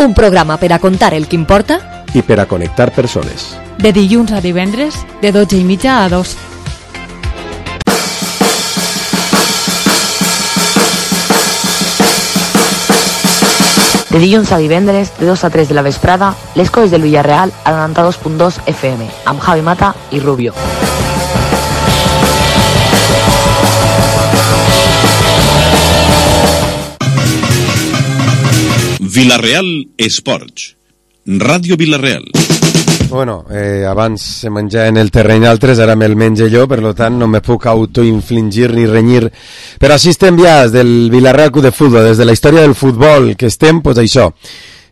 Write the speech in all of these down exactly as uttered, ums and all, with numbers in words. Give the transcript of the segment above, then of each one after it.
Un programa per a contar el que importa i per a connectar persones. De dilluns a divendres, de dotze i mitja a dos. De dilluns a divendres, de dos a tres de la vesprada, les coses del Villarreal a noranta-dos punt dos F M, amb Javi Mata i Rubio. Villarreal Esports, Ràdio Villarreal. Bueno, eh, abans se menjaven el terreny altres, ara me'l menjo jo, per lo tant no me puc autoinfligir ni renyir. Però així estem ja des del Villarreal Club de Futbol, des de la història del futbol que estem, pues això.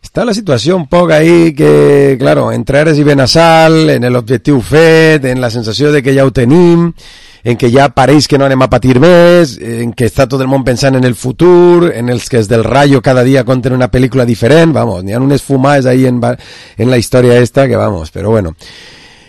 Està la situació un poc ahí que, claro, entre Ares i Benassal, en l'objectiu fet, en la sensació de que ja ho tenim, en que ja pareix que no anem a patir més, en que està tot el món pensant en el futur, en els que els del Rayo cada dia conten una pel·lícula diferent, vamos, n'hi ha unes fumades ahí en, en la història esta que vamos, però bueno.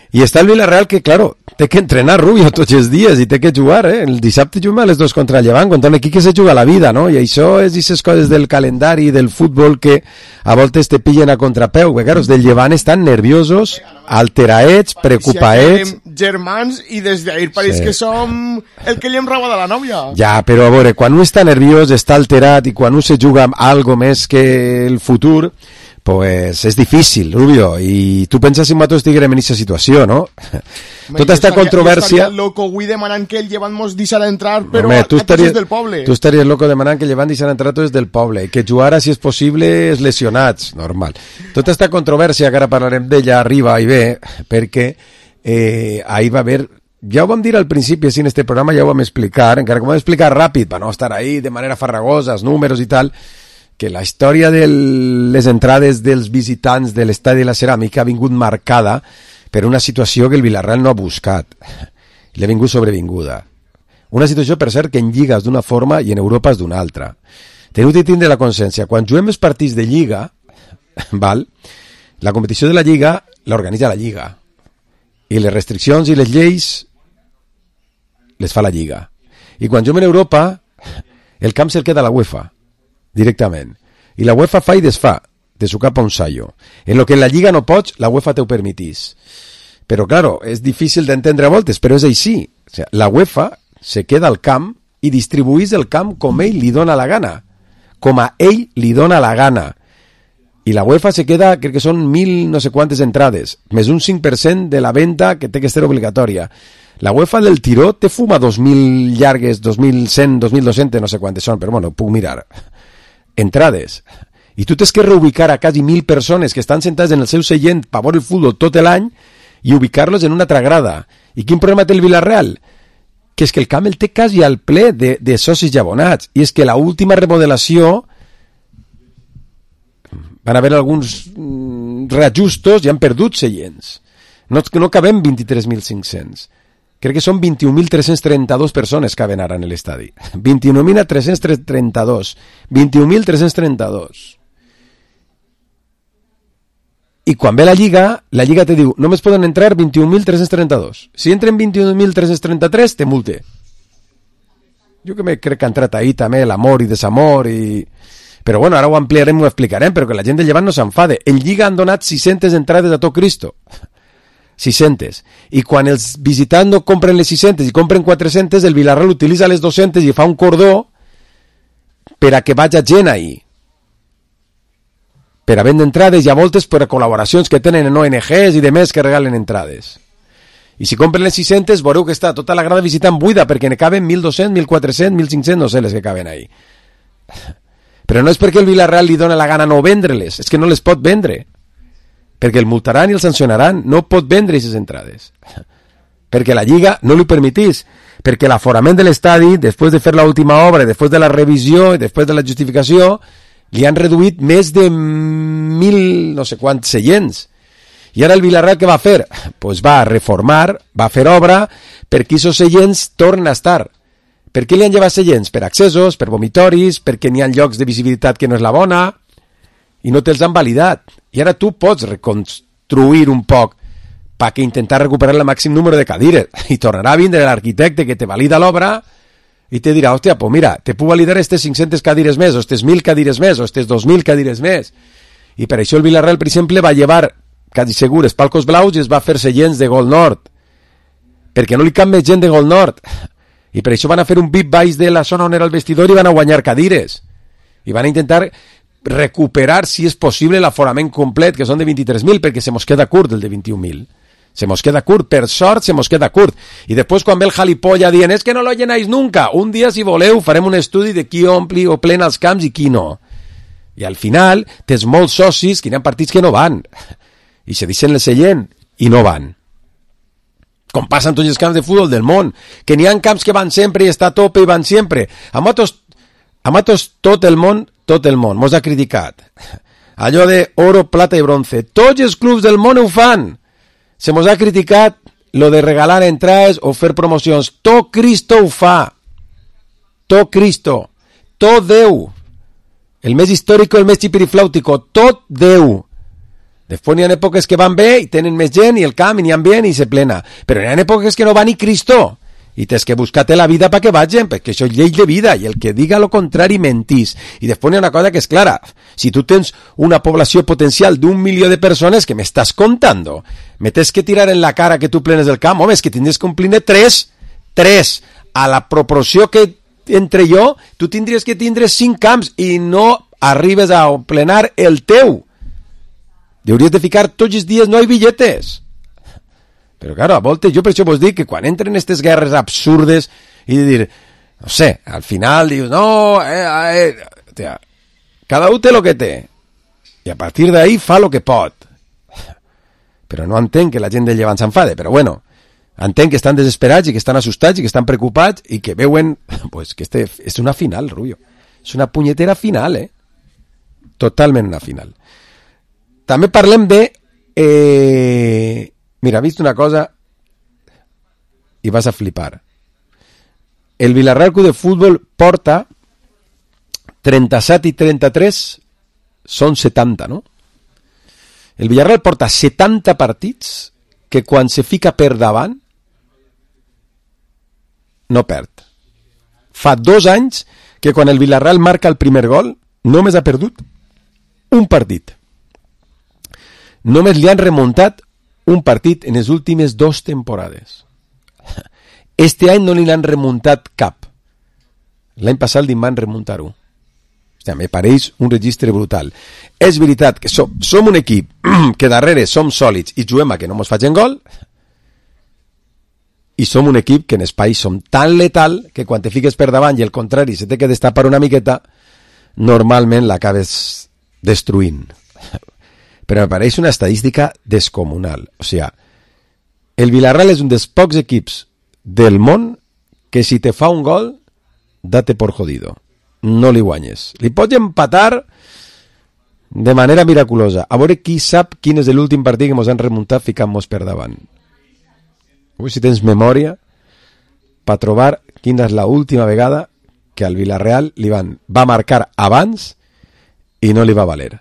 I està el Villarreal que, claro, té que entrenar Rubio tots els dies i té que jugar, eh? El dissabte juguem a les dos contra el Llevant, contra un equip que se juga la vida, no? I això és aquestes coses del calendari, del futbol, que a voltes te pillen a contrapeu, perquè, claro, els del Llevant estan nerviosos, alteraets, preocupaets... Si germans i des d'ahir pareix sí. que som el que li hem robat a la nòvia. Ja, però a veure, quan un està nerviós, està alterat i quan un se juga amb algo més que el futur... pues és difícil, Rubio, i tu penses si nosaltres estiguem en aquesta situació, no? Tota esta controvèrsia... Jo estaria loco avui demanant que el Llevant mos deixarà entrar, però Home, tu estaries, del poble. Tu estaries loco demanant que el Llevant deixarà entrar tots del poble, i que jugara, si és possible, els lesionats, normal. Tota esta controvèrsia, que ara parlarem d'ella, arriba i ve, perquè eh, ahí va haver... Ja ho vam dir al principi, així en este programa ja ho vam explicar, encara que ho vam explicar ràpid, per no estar ahí de manera farragosa, els números i tal... que la història de les entrades dels visitants de l'Estadi de la Ceràmica ha vingut marcada per una situació que el Villarreal no ha buscat. Li ha vingut sobrevinguda. Una situació, per cert, que en Lliga és d'una forma i en Europa és d'una altra. Teniu de tindre la consciència. Quan juguem els partits de Lliga, val, la competició de la Lliga l'organitza la Lliga. I les restriccions i les lleis les fa la Lliga. I quan juguem en Europa, el camp se'l queda a la UEFA. Directament. I la UEFA fa i desfà de su cap a un sallo. En lo que en la Lliga no pots, la UEFA te ho permitís. Però, claro, és difícil d'entendre a voltes, però és així. O sea, la UEFA se queda al camp i distribuís el camp com ell li dona la gana. Com a ell li dona la gana. I la UEFA se queda, crec que són mil no sé quantes entrades, més un cinc per cent de la venda que té que ser obligatòria. La UEFA del tiró te fuma dos mil llargues, dos mil cent, dos mil dos-cents, no sé quantes són, però bueno, puc mirar. Entrades. I tu tens que reubicar a quasi mil persones que estan sentades en el seu seient per veure el futbol tot l'any i ubicar-los en una altra grada. I quin problema té el Villarreal? Que és que el camp el té quasi al ple de, de socis i abonats. I és que la última remodelació van haver alguns mm, reajustos i han perdut seients. No, no cabem vint-i-tres mil cinc-cents. Crec que són vint-i-un mil tres-cents trenta-dos persones que caben ara en l'estadi. vint-i-nou mil tres-cents trenta-dos. vint-i-un mil tres-cents trenta-dos. I quan ve la Lliga, la Lliga te diu, només poden entrar vint-i-un mil tres-cents trenta-dos. Si entren vint-i-un mil tres-cents trenta-tres, te multe. Jo que me crec que ha entrat ahí també l'amor i desamor i... Però bueno, ara ho ampliarem, ho explicarem, però que la gent del Llevant no s'enfade. En Lliga han donat sis-centes entrades a tot Cristo. sis-centes. I quan els visitants no compren les sis-centes i compren quatre-centes, el Villarreal utilitza les dos-centes i fa un cordó per a que vagi gent ahí. Per a vendre entrades i a moltes per a col·laboracions que tenen en O N Ges i demés que regalen entrades. I si compren les sis-centes, veureu que està tota la grada visitant buida perquè ne caben mil dos-cents, mil quatre-cents, mil cinc-cents, no sé les que caben ahí. Però no és perquè el Villarreal li dona la gana no vendre-les, és que no les pot vendre. Perquè el multaran i el sancionaran, no pot vendre aquestes entrades. Perquè la Lliga no li permetís, perquè l'aforament de l'estadi, després de fer l'última obra, després de la revisió i després de la justificació, li han reduït més de mil no sé quants seients. I ara el Villarreal què va fer? Pues va reformar, va fer obra perquè aquests seients tornen a estar. Per què li han llevat seients? Per accessos, per vomitoris, perquè n'hi ha llocs de visibilitat que no és la bona i no te'ls han validat. I ara tu pots reconstruir un poc perquè intentar recuperar el màxim número de cadires. I tornarà a vindre l'arquitecte que te valida l'obra i te dirà, hòstia, pues mira, te puc validar estes cinc-centes cadires més, o estes mil cadires més, o estes dos mil cadires més. I per això el Villarreal, per exemple, va llevar, quasi segur, els palcos blaus i es va fer seients de Gol Nord. Perquè no li cap més gent de Gol Nord. I per això van a fer un V I P baix de la zona on era el vestidor i van a guanyar cadires. I van a intentar recuperar, si és possible, l'aforament complet, que són de vint-i-tres mil, perquè se mos queda curt el de vint-i-un mil. Se mos queda curt, per sort se mos queda curt. I després quan ve el jalipolla dient és que no lo llenáis nunca, un dia si voleu farem un estudi de qui ompli o plena els camps i qui no. I al final tens molts socis que hi ha partits que no van i se deixen el seient i no van. Com passa en tots els camps de futbol del món, que n'hi ha camps que van sempre i està a tope i van sempre. A motos, a motos tot el món, tot el món, mos ha criticat. Allò de oro, plata i bronze. Tots els clubs del món ho fan. Se mos ha criticat lo de regalar entrades o fer promocions. Tot Cristo ho fa. Tot Cristo. Tot Déu. El més històric, el més xipiriflàutico. Tot Déu. Després n'hi ha èpoques que van bé i tenen més gent i el camp i n'hi ha bien i se plena. Però n'hi ha èpoques que no va ni Cristo. I tens que buscar-te la vida perquè vagin, perquè això és llei de vida, i el que diga lo contrari mentís. I després n'hi ha una cosa que és clara. Si tu tens una població potencial d'un milió de persones, que m'estàs contando? Me tens que tirar en la cara que tu plenes el camp? Home, és que tindries que omplir tres, tres. A la proporció que entre jo, tu tindries que tindre cinc camps i no arribes a plenar el teu. Hauries de ficar tots els dies, no hi ha billetes. Però, claro, a voltes, jo per això vos dic que quan entren aquestes guerres absurdes i de dir, no sé, al final dius, no, eh, eh, tia, cada un té lo que té i a partir d'ahí fa lo que pot. Però no entenc que la gent del Llevant s'enfade, però bueno, entenc que estan desesperats i que estan assustats i que estan preocupats i que veuen, pues, que este és una final, Rubio. És una punyetera final, eh? Totalment una final. També parlem de... Eh... Mira, vist una cosa i vas a flipar. El Villarreal Club de Futbol porta trenta-set i trenta-tres, són setanta, no? El Villarreal porta setanta partits que quan se fica per davant no perd. Fa dos anys que quan el Villarreal marca el primer gol només ha perdut un partit. Només li han remuntat un partit en les últimes dues temporades. Este any no li han remuntat cap. L'any passat li van remuntar-ho. Hòstia, me pareix un registre brutal. És veritat que som, som un equip que darrere som sòlids i juguem a que no mos facin gol, i som un equip que en espai som tan letal que quan te fiques per davant i el contrari se té que destapar una miqueta, normalment l'acabes destruint. Però me pareix una estadística descomunal. O sigui, el Villarreal és un dels pocs equips del món que si te fa un gol, date por jodido. No li guanyes. Li pots empatar de manera miraculosa. A veure qui sap quin és l'últim partit que ens han remuntat ficant-nos per davant. Ui, si tens memòria, per trobar quina és l'última vegada que al Villarreal li van, va marcar abans i no li va valer.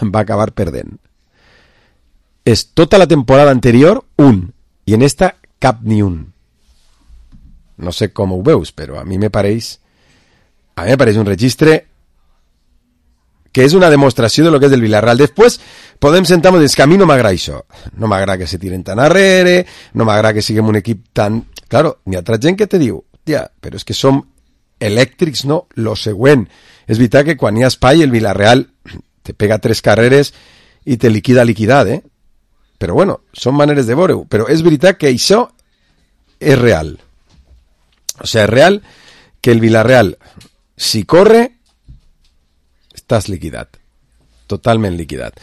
Va acabar perdent. És tota la temporada anterior un, i en esta cap ni un. No sé com ho veus, però a mi me pareix a mi me pareix un registre que és una demostració de lo que és el Villarreal. Després podem sentar-nos i dir que a mi no m'agrada això. No m'agrada que se tiren tan arrere, no m'agrada que siguem un equip tan... Claro, n'hi ha altra gent que te diu, tia, però és que som elèctrics, no? Lo següent. És veritat que quan hi ha espai el Villarreal te pega tres carreres i te liquida liquidat, eh? Però bueno, són maneres de veure-ho. Però és veritat que això és real. O sigui, és real que el Villarreal, si corre, estàs liquidat. Totalment liquidat.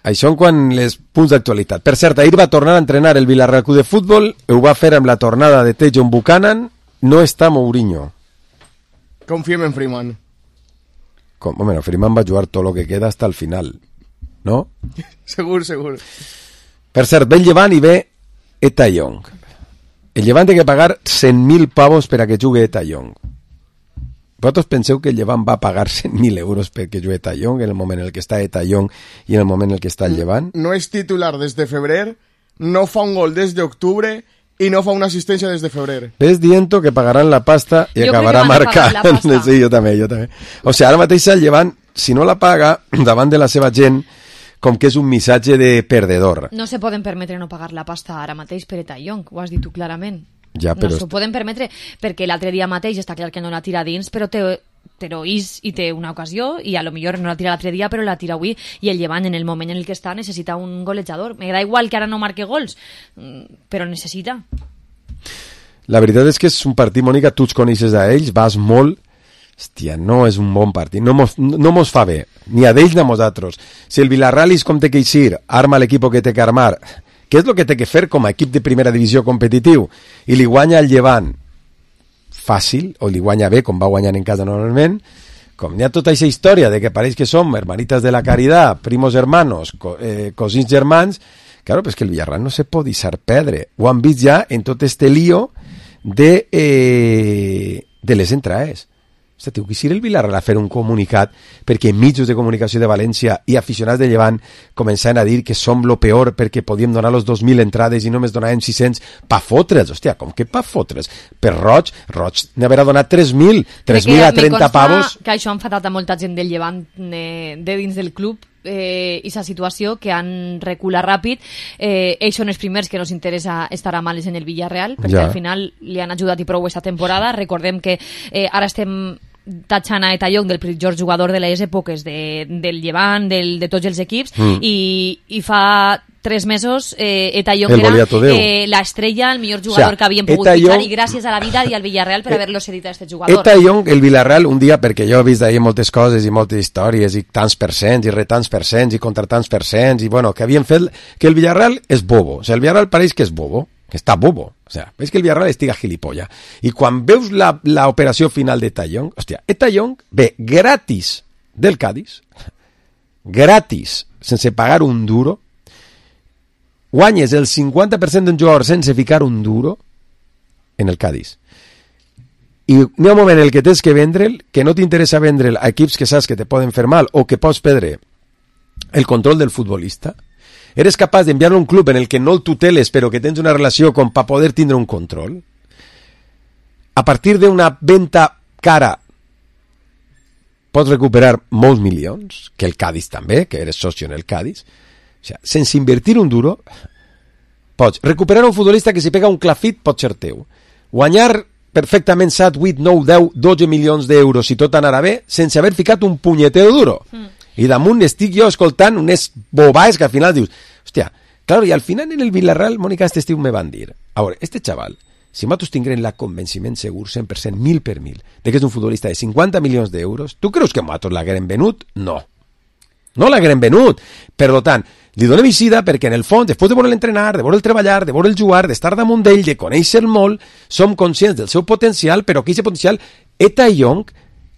Això en quant les punts d'actualitat. Per cert, ahir va tornar a entrenar el Villarreal Club de Futbol, ho va fer amb la tornada de Tejon Buchanan, no està Mourinho. Confiem en Freeman. Com, bueno, Freeman va jugar tot el que queda hasta el final, no? Segur, segur. Per cert, ve el Llevant i ve Eta Young. El Llevant té que pagar cent mil pavos per a que jugui Eta Young. Vosaltres penseu que el Llevant va pagar cent mil euros perquè jugui Eta Young en el moment en el que està Eta Young i en el moment en el que està el Llevant? No és titular des de febrer, no fa un gol des d'octubre i no fa una assistència des de febrer. Ves dient que pagaran la pasta i jo acabarà marcant. Sí, jo també, jo també. O sigui, ara mateix el Llevant, si no la paga, davant de la seva gent, com que és un missatge de perdedor. No se poden permetre no pagar la pasta ara mateix per Eta Young, ho has dit tu clarament. Ja, però... No s'ho poden permetre perquè l'altre dia mateix està clar que no la tira dins, però té, però és i té una ocasió i a lo millor no la tira l'altre dia però la tira avui i el Llevant en el moment en el que està necessita un golejador. M'agrada igual que ara no marque gols, però necessita. La veritat és que és un partit, Mònica, tu els coneixes d'ells, vas molt... Hòstia, no és un bon partit, no mos, no mos fa bé, ni a d'ells ni a nosaltres. Si el Villarreal és com té que eixir, arma l'equip que té que armar, què és el que té que fer com a equip de primera divisió competitiu? I li guanya el Llevant fàcil, o li guanya bé, com va guanyant en casa normalment, com hi ha tota aquesta història de que pareix que som hermanitas de la caridad, primos hermanos, co, eh, cosins germans, claro, pues que el Villarreal no se pot deixar perdre. Ho han vist ja en tot este lío de, eh, de les entrades. Hòstia, tio, quisiera el Villarreal a fer un comunicat perquè mitjos de comunicació de València i aficionats de Llevant començaven a dir que som lo peor perquè podíem donar los dos mil entrades i només donàvem sis-cents pa fotre's. Hòstia, com que pa fotre's? Per Roig, Roig n'haurà donat tres mil, tres mil a trenta pavos. Que això ha enfadat a molta gent del Llevant de, de dins del club eh, i sa situació que han reculat ràpid. Eh, ells són els primers que nos interessa estar a males en el Villarreal perquè Ja. al final li han ajudat i prou aquesta temporada. Recordem que eh, ara estem tatxant a Eta Young del pitjor jugador de les èpoques de, del Llevant, del, de tots els equips mm. i, i fa tres mesos eh, Eta Young El era Goliato Déu. eh, l'estrella, el millor jugador O sea, que havien pogut Eta fitxar Young- i gràcies a la vida i al Villarreal per haver-lo cedit a este jugador. Eta Young, el Villarreal, un dia, perquè jo he vist d'ahir moltes coses i moltes històries i tants percents i retants percents i contra tants percents i bueno, que havien fet que el Villarreal és bobo. O sigui, el Villarreal pareix que és bobo, que està bobo. O sea, veus que el Villarreal estiga gilipolla. I quan veus la, la operació final d'Eta Young, hòstia, Eta Young ve gratis del Cádiz, gratis, sense pagar un duro, guanyes el cinquanta per cent d'un jugador sense ficar un duro en el Cádiz. I n'hi ha un moment en el que tens que vendre'l, que no t'interessa vendre'l a equips que saps que te poden fer mal o que pots perdre el control del futbolista. Eres capaç d'enviar-lo a un club en el que no el tuteles però que tens una relació com per poder tindre un control. A partir d'una venda cara pots recuperar molts milions, que el Cádiz també, que eres socio en el Cádiz. O sigui, sense invertir un duro, pots recuperar un futbolista que si pega un clafit pot ser teu. Guanyar perfectament set, vuit, nou, deu, dotze milions d'euros si tot anarà bé, sense haver ficat un punyetero duro. Mm. I damunt estic jo escoltant unes bobaes que al final dius, hòstia, claro, i al final en el Villarreal, Mònica, este estiu me van dir, a veure, este xaval, si nosaltres tinguem la convenciment segur, cent per cent, mil per mil, de que és un futbolista de cinquanta milions d'euros, tu creus que nosaltres l'haguem venut? No. No l'haguem venut. Per tant, li donem eixida perquè en el fons, després de veure'l entrenar, de veure'l treballar, de veure'l jugar, d'estar damunt d'ell, de conèixer molt, som conscients del seu potencial, però que aquest potencial, Eta Young,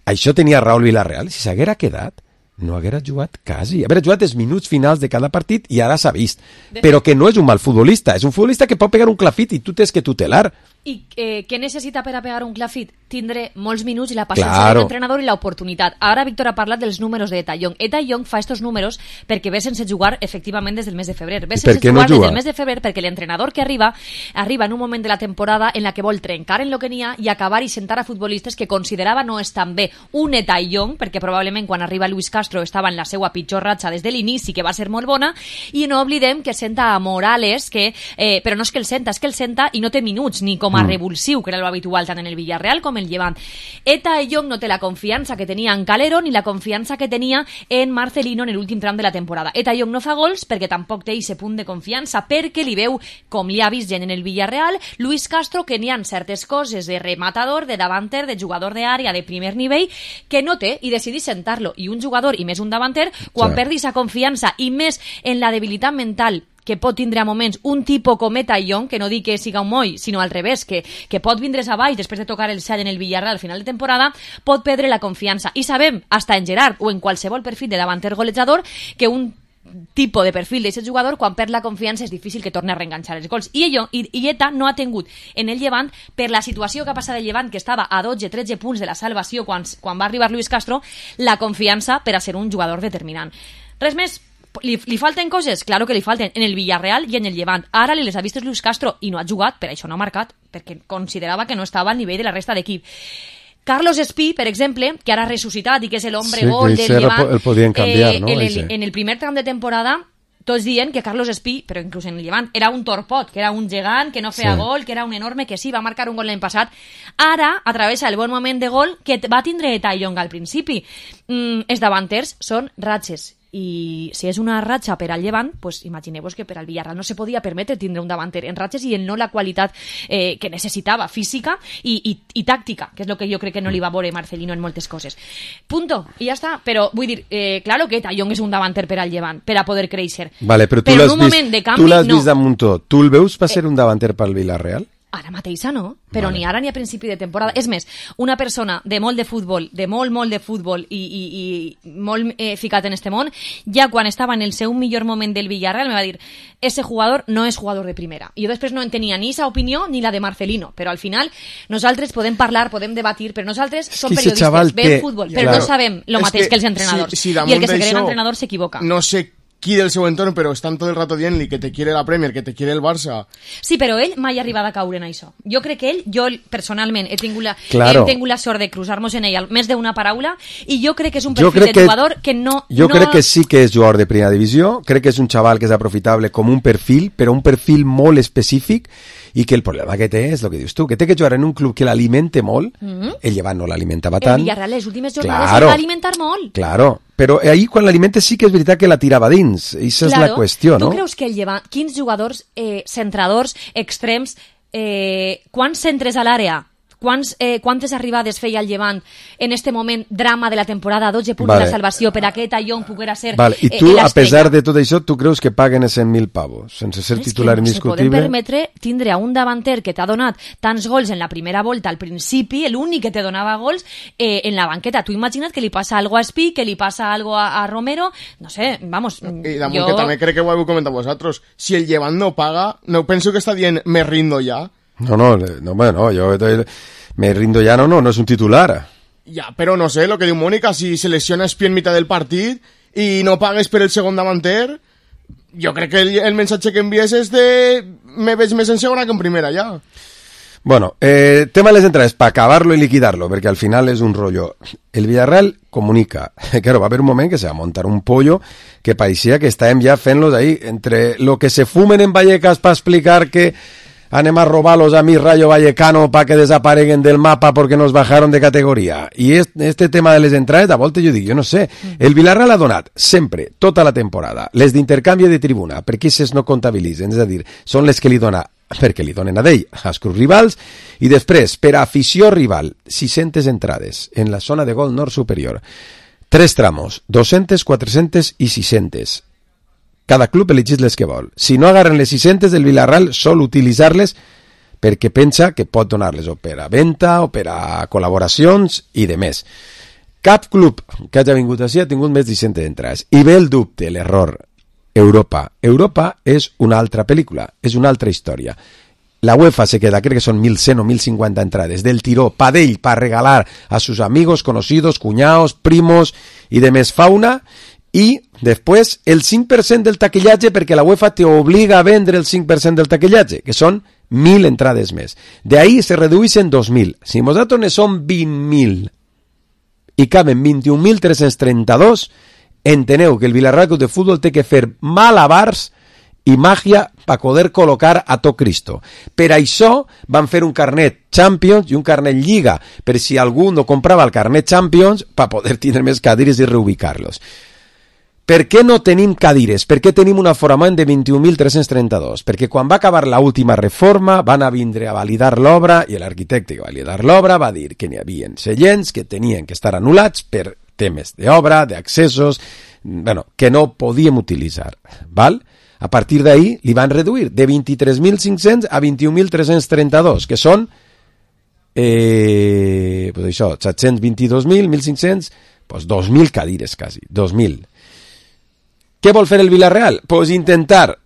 això tenia Raúl Villarreal, si s'haguera quedat, no haguera jugat quasi. Haguera jugat els minuts finals de cada partit i ara s'ha vist. Però que no és un mal futbolista, és un futbolista que pot pegar un clafit i tu tens que tutelar. I eh, què necessita per a pegar un clafit? Tindre molts minuts i la paciència Claro. de l'entrenador i l'oportunitat. Ara Víctor ha parlat dels números d'Eta Young. Eta Young fa estos números perquè ve sense jugar efectivament des del mes de febrer. Ve I per sense què no jugar des juga? del mes de febrer perquè l'entrenador que arriba arriba en un moment de la temporada en la que vol trencar en lo que n'hi ha i acabar i sentar a futbolistes que considerava no estan bé. Un Eta Young, perquè probablement quan arriba Luis Castro estava en la seva pitjor ratxa des de l'inici, que va ser molt bona, i no oblidem que senta a Morales, que, eh, però no és que el senta, és que el senta i no té minuts, ni com a mm. revulsiu, que era lo habitual tant en el Villarreal com el Llevant. Eta Young no té la confiança que tenia en Calero ni la confiança que tenia en Marcelino en l'últim tram de la temporada. Eta Young no fa gols perquè tampoc té aquest punt de confiança, perquè li veu, com li ha vist gent en el Villarreal, Luis Castro, que n'hi ha certes coses de rematador, de davanter, de jugador d'àrea de primer nivell, que no té i decidís sentar-lo. I un jugador, i més un davanter, quan sí. perdi sa confiança i més en la debilitat mental que pot tindre a moments un tipus com Eta Young, que no dic que siga un moll, sinó al revés, que, que pot vindre's a baix després de tocar el sall en el Villarreal al final de temporada, pot perdre la confiança. I sabem, hasta en Gerard o en qualsevol perfil de davanter golejador, que un tipus de perfil d'aquest jugador, quan perd la confiança és difícil que torni a reenganxar els gols. I, ell, i, i Eta no ha tingut en el Llevant, per la situació que ha passat el Llevant, que estava a dotze tretze punts de la salvació quan, quan va arribar Luis Castro, la confiança per a ser un jugador determinant. Res més. Li, li falten coses? Claro que li falten. En el Villarreal i en el Llevant. Ara li les ha vistes Luis Castro i no ha jugat, per això no ha marcat, perquè considerava que no estava al nivell de la resta d'equip. Carlos Espí, per exemple, que ara ha ressuscitat i que és l'hombre sí, gol del Llevant, el podien canviar, eh, no? en, el, en el primer tram de temporada tots dient que Carlos Espí, però inclús en el Llevant, era un torpot, que era un gegant, que no feia sí. gol, que era un enorme, que sí, va marcar un gol l'any passat. Ara, a través del bon moment de gol que va tindre Taillong al principi. Mm, els davanters són ratxes. I si és una ratxa per al Llevant, pues imagineu-vos que per al Villarreal no se podia permetre tindre un davanter en ratxes i en no la qualitat eh, que necessitava, física i, i, i tàctica, que és el que jo crec que no li va veure Marcelino en moltes coses. Punto, i ja està. Però vull dir, eh, claro que Taillong és un davanter per al Llevant, per a poder créixer. Vale, però tu però l'has en un vist, moment de canvi, tu l'has no. vist damunt tot. Tu el veus per ser un davanter pel Villarreal? Ara mateixa no, però vale. ni ara ni a principi de temporada. És més, una persona de molt de futbol, de molt, molt de futbol i, i, i molt eh, ficat en este món, ja quan estava en el seu millor moment del Villarreal me va dir, ese jugador no és jugador de primera. I jo després no en tenia ni esa opinió ni la de Marcelino, però al final nosaltres podem parlar, podem debatir, però nosaltres som que periodistes, veiem té... futbol, però claro. no sabem el mateix que, que els entrenadors. Si, si I el que se cree d'això, entrenador s'equivoca. No sé qui del seu entorn, però estan tot el rato dient-li que te quiere la Premier, que te quiere el Barça. Sí, però ell mai ha arribat a caure en això. Jo crec que ell, jo personalment he tingut la, claro. he tingut la sort de cruzar-nos en ell més d'una paraula i jo crec que és un Jo perfil de que, jugador que no... Jo no... crec que sí que és jugador de primera divisió, crec que és un xaval que és aprofitable com un perfil, però un perfil molt específic i que el problema que té és el que dius tu, que té que jugar en un club que l'alimente molt, mm-hmm. el Llevant no l'alimentava tant. El Villarreal les últimes jornades claro, el va alimentar molt. Claro, però ahí quan l'alimentes sí que és veritat que la tirava dins, i això claro. és la qüestió, no? Tu creus que el Llevant, quins jugadors eh, centradors, extrems, eh, quants centres a l'àrea, Quants, eh, quantes arribades feia el Llevant en este moment, drama de la temporada, dotze punts vale. de la salvació per a que Taillong poguera ser vale. I tu, eh, a pesar de tot això, tu creus que paguen cent mil pavos, sense ser és titular que no indiscutible? se poden permetre tindre a un davanter que t'ha donat tants gols en la primera volta al principi, l'únic que te donava gols eh, en la banqueta. Tu imagina't que li passa algo a Espí, que li passa algo a, a Romero, no sé, vamos... I damunt jo... que també crec que ho heu comentat vosaltres, si el Llevant no paga, no penso que està dient me rindo ja. No, no, no, bueno, yo me rindo ya, no, no, no es un titular. Ya, pero no sé, lo que diu Mónica, si se lesiona Espí en mitad del partit i no pagues per el segon davanter, jo crec que el, el mensatge que envies és de me veig més en segona que en primera, ja. Bueno, eh, tema de les entrades, para acabarlo y liquidarlo, porque al final es un rollo. El Villarreal comunica, claro, va a haber un moment que se va a montar un pollo que parecía que estàvem ja fent-los ahí, entre lo que se fumen en Vallecas para explicar que anem a robar-los a mi Rayo Vallecano para que desapareguen del mapa porque nos bajaron de categoria. I este, este tema de les entrades, a volta jo dic, jo no sé, el Villarreal ha donat sempre, tota la temporada, les d'intercanvi de tribuna, perquè aquestes no comptabilitzen, és a dir, són les que li dona, perquè li donen a d'ell, als clubs rivals, i després, per a afició rival, sis-centes entrades en la zona de gol nord superior, tres tramos, dos-centes, quatre-centes i sis-centes. Cada club elegís les que vol. Si no agarren les sis-centes del Villarreal, sol utilitzar-les perquè pensa que pot donar-les o per a venda o per a col·laboracions i de més. Cap club que hagi vingut així ha tingut més de sis-centes entrades. I ve el dubte, l'error. Europa. Europa és una altra pel·lícula, és una altra història. La UEFA se queda, crec que són mil cent o mil cinquanta entrades, del tiró, pa d'ell, pa regalar a sus amigos, conocidos, cuñados, primos i de més fauna. I després el cinc per cent del taquillatge, perquè la UEFA te obliga a vendre el cinc per cent del taquillatge, que són mil entrades més. De ahí se redueixen dos mil. Si nosaltres ne som vint mil i caben vint-i-un mil tres-cents trenta-dos, enteneu que el Villarreal Club de Futbol té que fer malabars i màgia per poder col·locar a tot Cristo. Per això van fer un carnet Champions i un carnet Lliga, per si algú no comprava el carnet Champions, per poder tenir més cadires i reubicar-los. Per què no tenim cadires? Per què tenim un aforament de vint-i-un mil tres-cents trenta-dos? Perquè quan va acabar l'última reforma van a vindre a validar l'obra i l'arquitecte que va validar l'obra va dir que n'hi havia seients que tenien que estar anul·lats per temes d'obra, d'accessos, bueno, que no podíem utilitzar. Val? A partir d'ahí li van reduir de vint-i-tres mil cinc-cents a vint-i-un mil tres-cents trenta-dos, que són eh, pues això, set-cents vint-i-dos mil, mil cinc-cents, pues dos mil cadires quasi, dos mil. Què vol fer el Villarreal? Pues intentar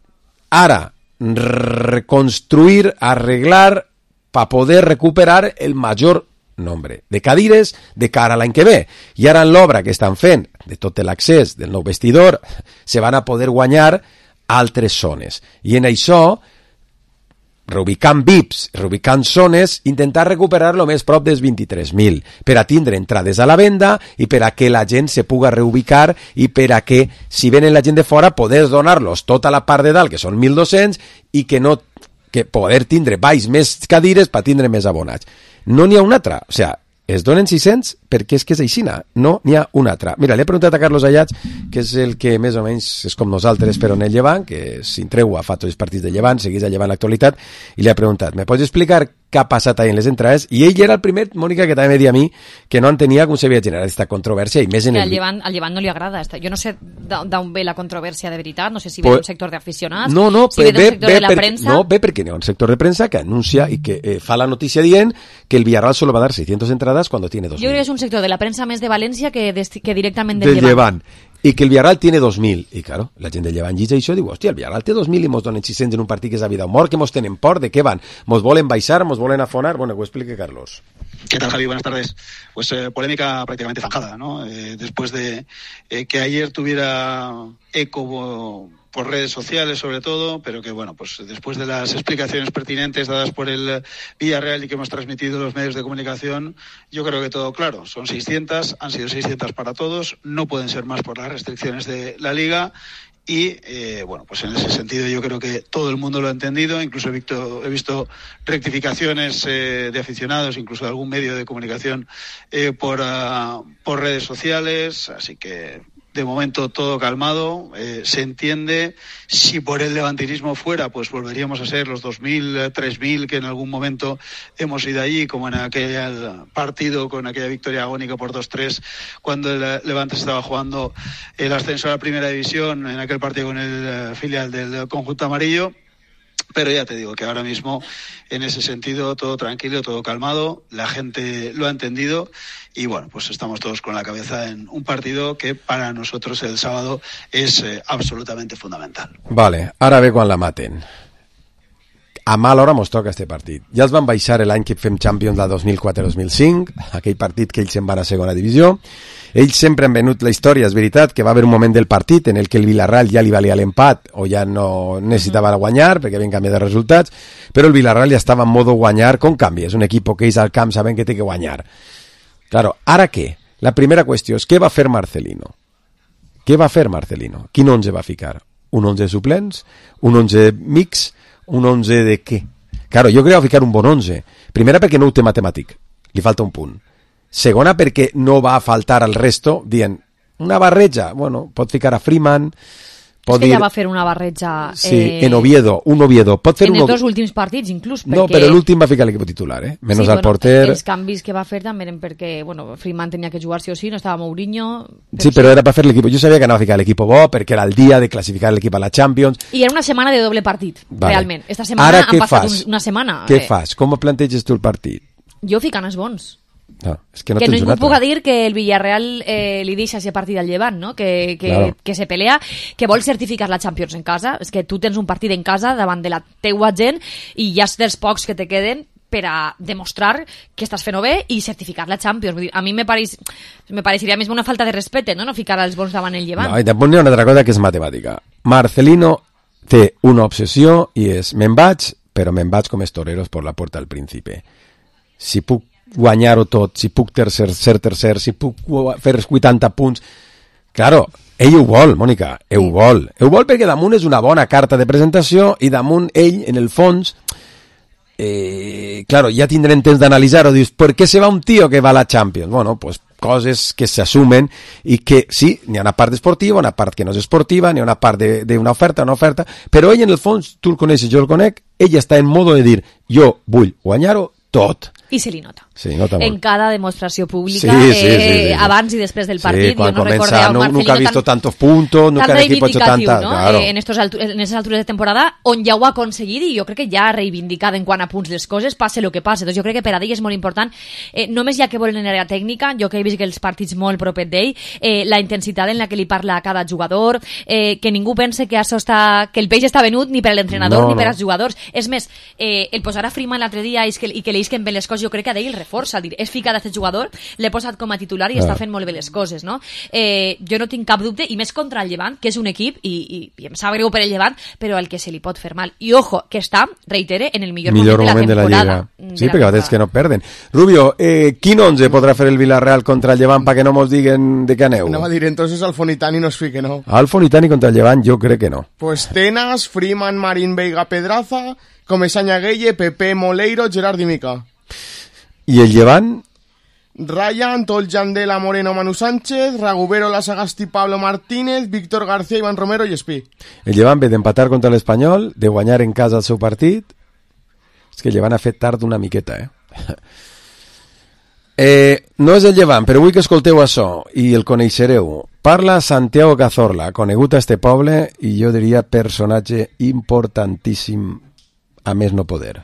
ara reconstruir, arreglar, para poder recuperar el major nombre de cadires de cara a l'any que ve. I ara en l'obra que estan fent de tot l'accés del nou vestidor, se van a poder guanyar altres zones. I en això, reubicant V I Ps, reubicant zones, intentar recuperar lo més prop dels vint-i-tres mil, per a tindre entrades a la venda i per a que la gent se puga reubicar i per a que, si venen la gent de fora, poder donar-los tota la part de dalt, que són mil dos-cents, i que no que poder tindre baix més cadires per tindre més abonats. No n'hi ha una altra, o sigui, es donen sis-cents perquè és que és aixina, no n'hi ha una altra. Mira, li he preguntat a Carlos Ayats, que és el que més o menys és com nosaltres però en el Llevant, que s'intreu a fa tots els partits de Llevant, segueix a Llevant l'actualitat, i li ha preguntat, me pots explicar què ha passat ahí en les entrades? I ell era el primer, Mònica, que també me dia a mi que no entenia com s'havia generat aquesta controvèrsia, i més en el... Al Llevant, al Llevant no li agrada. Jo no sé d'on ve la controvèrsia de veritat, no sé si ve pues, d'un sector d'aficionats, no, no, si ve d'un sector ve, de la per, premsa... No, ve perquè hi ha un sector de premsa que anuncia i que eh, fa la notícia dient que el Villarreal solo va a dar seiscientas entradas cuando tiene dos mil. Jo crec que és un sector de la premsa més de València que, de, que directament del, del Llevant. I que el Villarreal tiene dos mil. I claro, la gent del Llevant llitja això i diu, hòstia, el Villarreal té dos mil i mos donen sis-cents en un partit que és a vida o mort, que mos tenen por, de què van? Mos volen baixar, mos volen afonar? Bueno, que ho explique Carlos. ¿Qué tal, Javi? Buenas tardes. Pues eh, polémica prácticamente zanjada, ¿no? Eh, después de eh, que ayer tuviera eco por redes sociales sobre todo, pero que bueno, pues después de las explicaciones pertinentes dadas por el Villarreal y que hemos transmitido los medios de comunicación, yo creo que todo claro. Son seiscientas, han sido seiscientas para todos, no pueden ser más por las restricciones de la Liga. Y, eh, bueno, pues en ese sentido yo creo que todo el mundo lo ha entendido, incluso he visto, he visto rectificaciones eh, de aficionados, incluso de algún medio de comunicación eh, por, uh, por redes sociales, así que de momento todo calmado, eh, se entiende. Si por el levantinismo fuera, pues volveríamos a ser los dos mil, tres mil que en algún momento hemos ido allí, como en aquel partido con aquella victoria agónica por dos tres, cuando el Levante estaba jugando el ascenso a la primera división, en aquel partido con el filial del conjunto amarillo. Pero ya te digo que ahora mismo, en ese sentido, todo tranquilo, todo calmado, la gente lo ha entendido y bueno, pues estamos todos con la cabeza en un partido que para nosotros el sábado es eh, absolutamente fundamental. Vale, ara ve quan la maten. A mala hora mos toca este partit. Ja els van baixar l'any que fem Champions de dos mil quatre dos mil cinc, aquell partit que ells se'n van a segona divisió. Ells sempre han venut la història, és veritat, que va haver un moment del partit en el que el Villarreal ja li valia l'empat o ja no necessitava guanyar perquè havien canviat de resultats, però el Villarreal ja estava en modo guanyar com canvi. És un equip que ells al camp saben que té que guanyar. Claro, ara què? La primera qüestió és què va fer Marcelino? Què va fer Marcelino? Quin onze va ficar? Un onze suplents? Un onze mix? Un onze de què? Claro, jo crec que va ficar un bon onze. Primera perquè no ho té matemàtic, li falta un punt. Segona perquè no va faltar al resto dient una barreja, bueno, pot ficar a Freeman, pot és que dir... ja va fer una barreja sí, eh... en Oviedo, un Oviedo pot fer en un... els dos últims partits inclús perquè... no, però l'últim va ficar l'equip titular, eh? Menos sí, al bueno, porter. Els canvis que va fer també eren perquè bueno, Freeman tenia que jugar sí o sí, no estava Mourinho però sí, però era per fer l'equip, jo sabia que anava a ficar l'equip bo perquè era el dia de classificar l'equip a la Champions i era una setmana de doble partit, vale. Realment esta setmana ara, han passat fas? una setmana què eh... fas? Com planteges tu el partit? Jo ficant els bons. No, és que no que tens ningú una altra. puga dir que el Villarreal eh, li deixa ese partit al Llevant, no? que, que, claro. que se pelea, que vol certificar la Champions en casa. És que tu tens un partit en casa davant de la teua gent i ja és dels pocs que te queden per a demostrar que estàs fent-ho bé i certificar la Champions. Vull dir, a mi me, pareix, me pareixeria més una falta de respecte, no? No ficar els bons davant el Llevant. No, i tampoc n'hi ha una altra cosa que és matemàtica. Marcelino té una obsessió i és me'n vaig, però me'n vaig com els toreros per la porta al príncipe. Si puc guanyar-ho tot, si puc tercer, ser tercer, si puc fer vuitanta punts... Claro, ell ho vol, Mònica, ell ho vol. Ell ho vol perquè damunt és una bona carta de presentació i damunt ell, en el fons, eh, claro, ja tindrem temps d'analitzar-ho. Dius, per què se va un tio que va a la Champions? Bueno, pues coses que s'assumen i que sí, n'hi ha una part esportiva, una part que no és esportiva, n'hi ha una part d'una oferta, una oferta, però ell en el fons, tu el coneixes, jo el conec, ell està en modo de dir, jo vull guanyar-ho tot. I se li nota. Sí, nota en cada demostració pública, sí, sí, eh, sí, sí, sí. abans i després del partit. Sí, quan jo no comença, no, nunca ha visto tan, tantos puntos, nunca tan el equipo ha hecho tanta... ¿no? Claro. Eh, en, estos altu en esas alturas de temporada, on ja ho ha aconseguit i jo crec que ja ha reivindicat en quant a punts les coses, passe el que passe. Doncs jo crec que per a ell és molt important, eh, només ja que volen en l'àrea tècnica, jo que he vist que els partits molt propet d'ell, eh, la intensitat en la que li parla a cada jugador, eh, que ningú pense que això està, que el peix està venut ni per a l'entrenador no, ni per no. als jugadors. És més, eh, el posar a Freeman l'altre dia i que, i que li isquen bé les coses, jo crec que a ell el reforça, dir, és ficat aquest jugador, l'he posat com a titular i ah. està fent molt bé les coses, no? Eh, jo no tinc cap dubte, i més contra el Llevant, que és un equip, i, i, i em sap greu per el Llevant, però el que se li pot fer mal. I ojo, que està, reitere, en el millor, millor moment, moment de la temporada. De la Lliga. Sí, perquè a vegades que no perden. Rubio, eh, quin onze podrà fer el Villarreal contra el Llevant perquè no mos diguen de què aneu? Anava a dir, entonces Alfonitani no es fique, no? Alfonitani contra el Llevant jo crec que no. Pues Tenas, Freeman, Marín, Veiga, Pedraza, Comesaña, Gueye, Pepe, Moleiro, Gerard i Mica. I el Llevant? Ryan, Tol Yandela, Moreno, Manu Sánchez, Ragubero, Lasagasti, Pablo Martínez, Víctor García, Iván Romero i Espí. El Llevant ve d'empatar contra l'Espanyol, de guanyar en casa el seu partit. És que el Llevant ha fet tard una miqueta, eh? eh no és el Llevant, però vull que escolteu això i el coneixereu. Parla Santiago Cazorla, conegut a este poble i jo diria personatge importantíssim, a més no poder.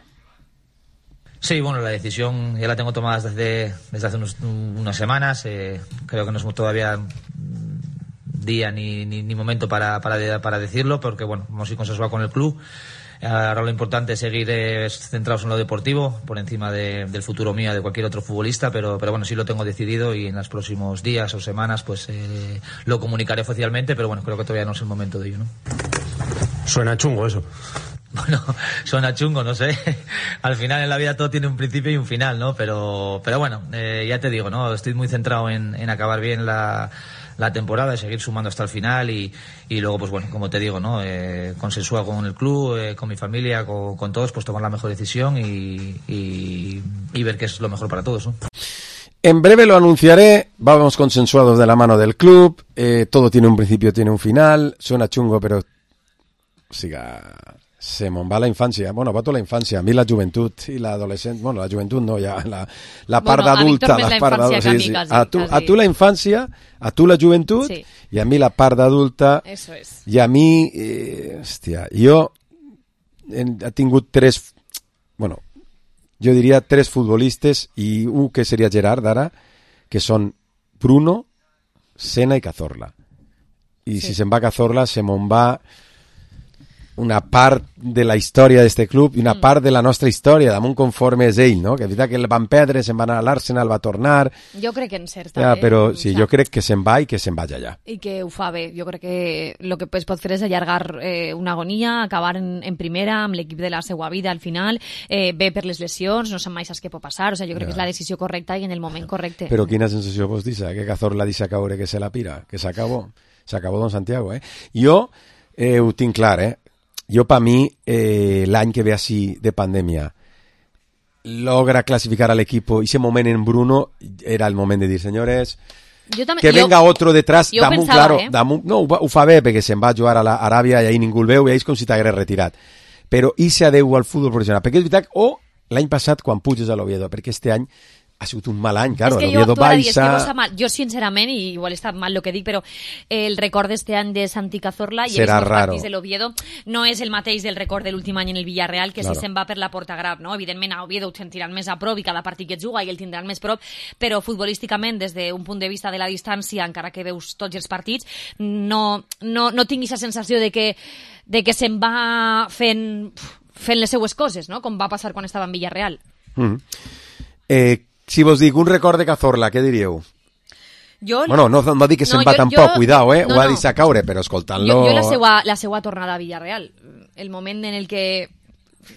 Sí, bueno, la decisión ya la tengo tomada desde, desde hace unos, unas semanas. Eh, creo que no es todavía día ni, ni, ni momento para, para, para decirlo, porque bueno, hemos sido consensuados con el club. Ahora lo importante es seguir eh, centrados en lo deportivo, por encima de, del futuro mío, de cualquier otro futbolista, pero, pero bueno, sí lo tengo decidido y en los próximos días o semanas pues eh, lo comunicaré oficialmente, pero bueno, creo que todavía no es el momento de ello, ¿no? Suena chungo eso. Bueno, suena chungo, no sé. Al final en la vida todo tiene un principio y un final, ¿no? Pero, pero bueno, eh, ya te digo, ¿no? Estoy muy centrado en, en acabar bien la, la temporada, seguir sumando hasta el final y, y luego, pues bueno, como te digo, ¿no? Eh, consensuado con el club, eh, con mi familia, con, con todos, pues tomar la mejor decisión y, y, y ver qué es lo mejor para todos, ¿no? En breve lo anunciaré, vamos consensuados de la mano del club, eh, todo tiene un principio, tiene un final, suena chungo, pero siga... Se me'n va la infància, bueno, va tota la infància, a mi la joventut i l'adolescent, bueno, la joventut no, ja la, la part bueno, d'adulta, la, la part d'adulta, sí, sí. A, tu, a tu la infància, a tu la joventut, sí. I a mi la part d'adulta, eso es. I a mi, eh, hòstia, jo he, he tingut tres, bueno, jo diria tres futbolistes i un que seria Gerard ara, que són Bruno, Sena i Cazorla. I sí. Si se'n va Cazorla, se me'n va una part de la història d'este club i una mm. part de la nostra història, damunt conforme és ell, no? Que és veritat que el van perdre, se'n va anar a l'Arsenal, va tornar... Jo crec que encert, ja, també. Però sí, jo crec que se'n va i que se'n vagi allà. I que ho fa bé. Jo crec que el que es pot fer és allargar eh, una agonia, acabar en, en primera, amb l'equip de la seva vida al final, eh, bé per les lesions, no sap mai saps què pot passar, o sigui, jo crec ja. Que és la decisió correcta i en el moment correcte. Però quina sensació vos deixa? Que Cazorla deixa caure que se la pira? Que s'acabó? S'acabó Don Santiago, eh? Jo eh, ho tinc clar, eh? Jo, per mi, eh, l'any que ve així de pandèmia, logra classificar a l'equip, i ese moment en Bruno era el moment de dir, senyores, també, que venga jo, otro detrás, damunt, pensava, claro, eh? damunt, no, ho, ho fa bé, perquè se'n va a jugar a l'Aràbia i ahir ningú el veu, i ahir és com si t'hagués retirat. Però i se adeu al futbol professional, perquè és veritat, o l'any passat quan puges a l'Oviedo, perquè este any ha sigut un mal any, claro, l'Oviedo baixa... És que mal. Jo, sincerament, i igual està mal el que dic, però el record d'este any de Santi Cazorla i els partits de l'Oviedo no és el mateix del record de l'últim any en el Villarreal, que claro. Si se'n va per la Porta Graf, no? Evidentment a Oviedo ho sentiran més a prop i cada partit que et juga i el tindran més prop, però futbolísticament, des d'un punt de vista de la distància, encara que veus tots els partits, no, no, no tinguis la sensació de que, de que se'n va fent, fent les seues coses, no? Com va passar quan estava en Villarreal. Mm. Eh, Si vos dic un record de Cazorla, què diríeu? Jo... Bueno, no, no dic que se'n no, va jo, tampoc, jo, cuidao, eh? No, ho ha no. deixat caure, però escoltant-lo... Jo, jo la, seva, la seva tornada a Villarreal, el moment en el que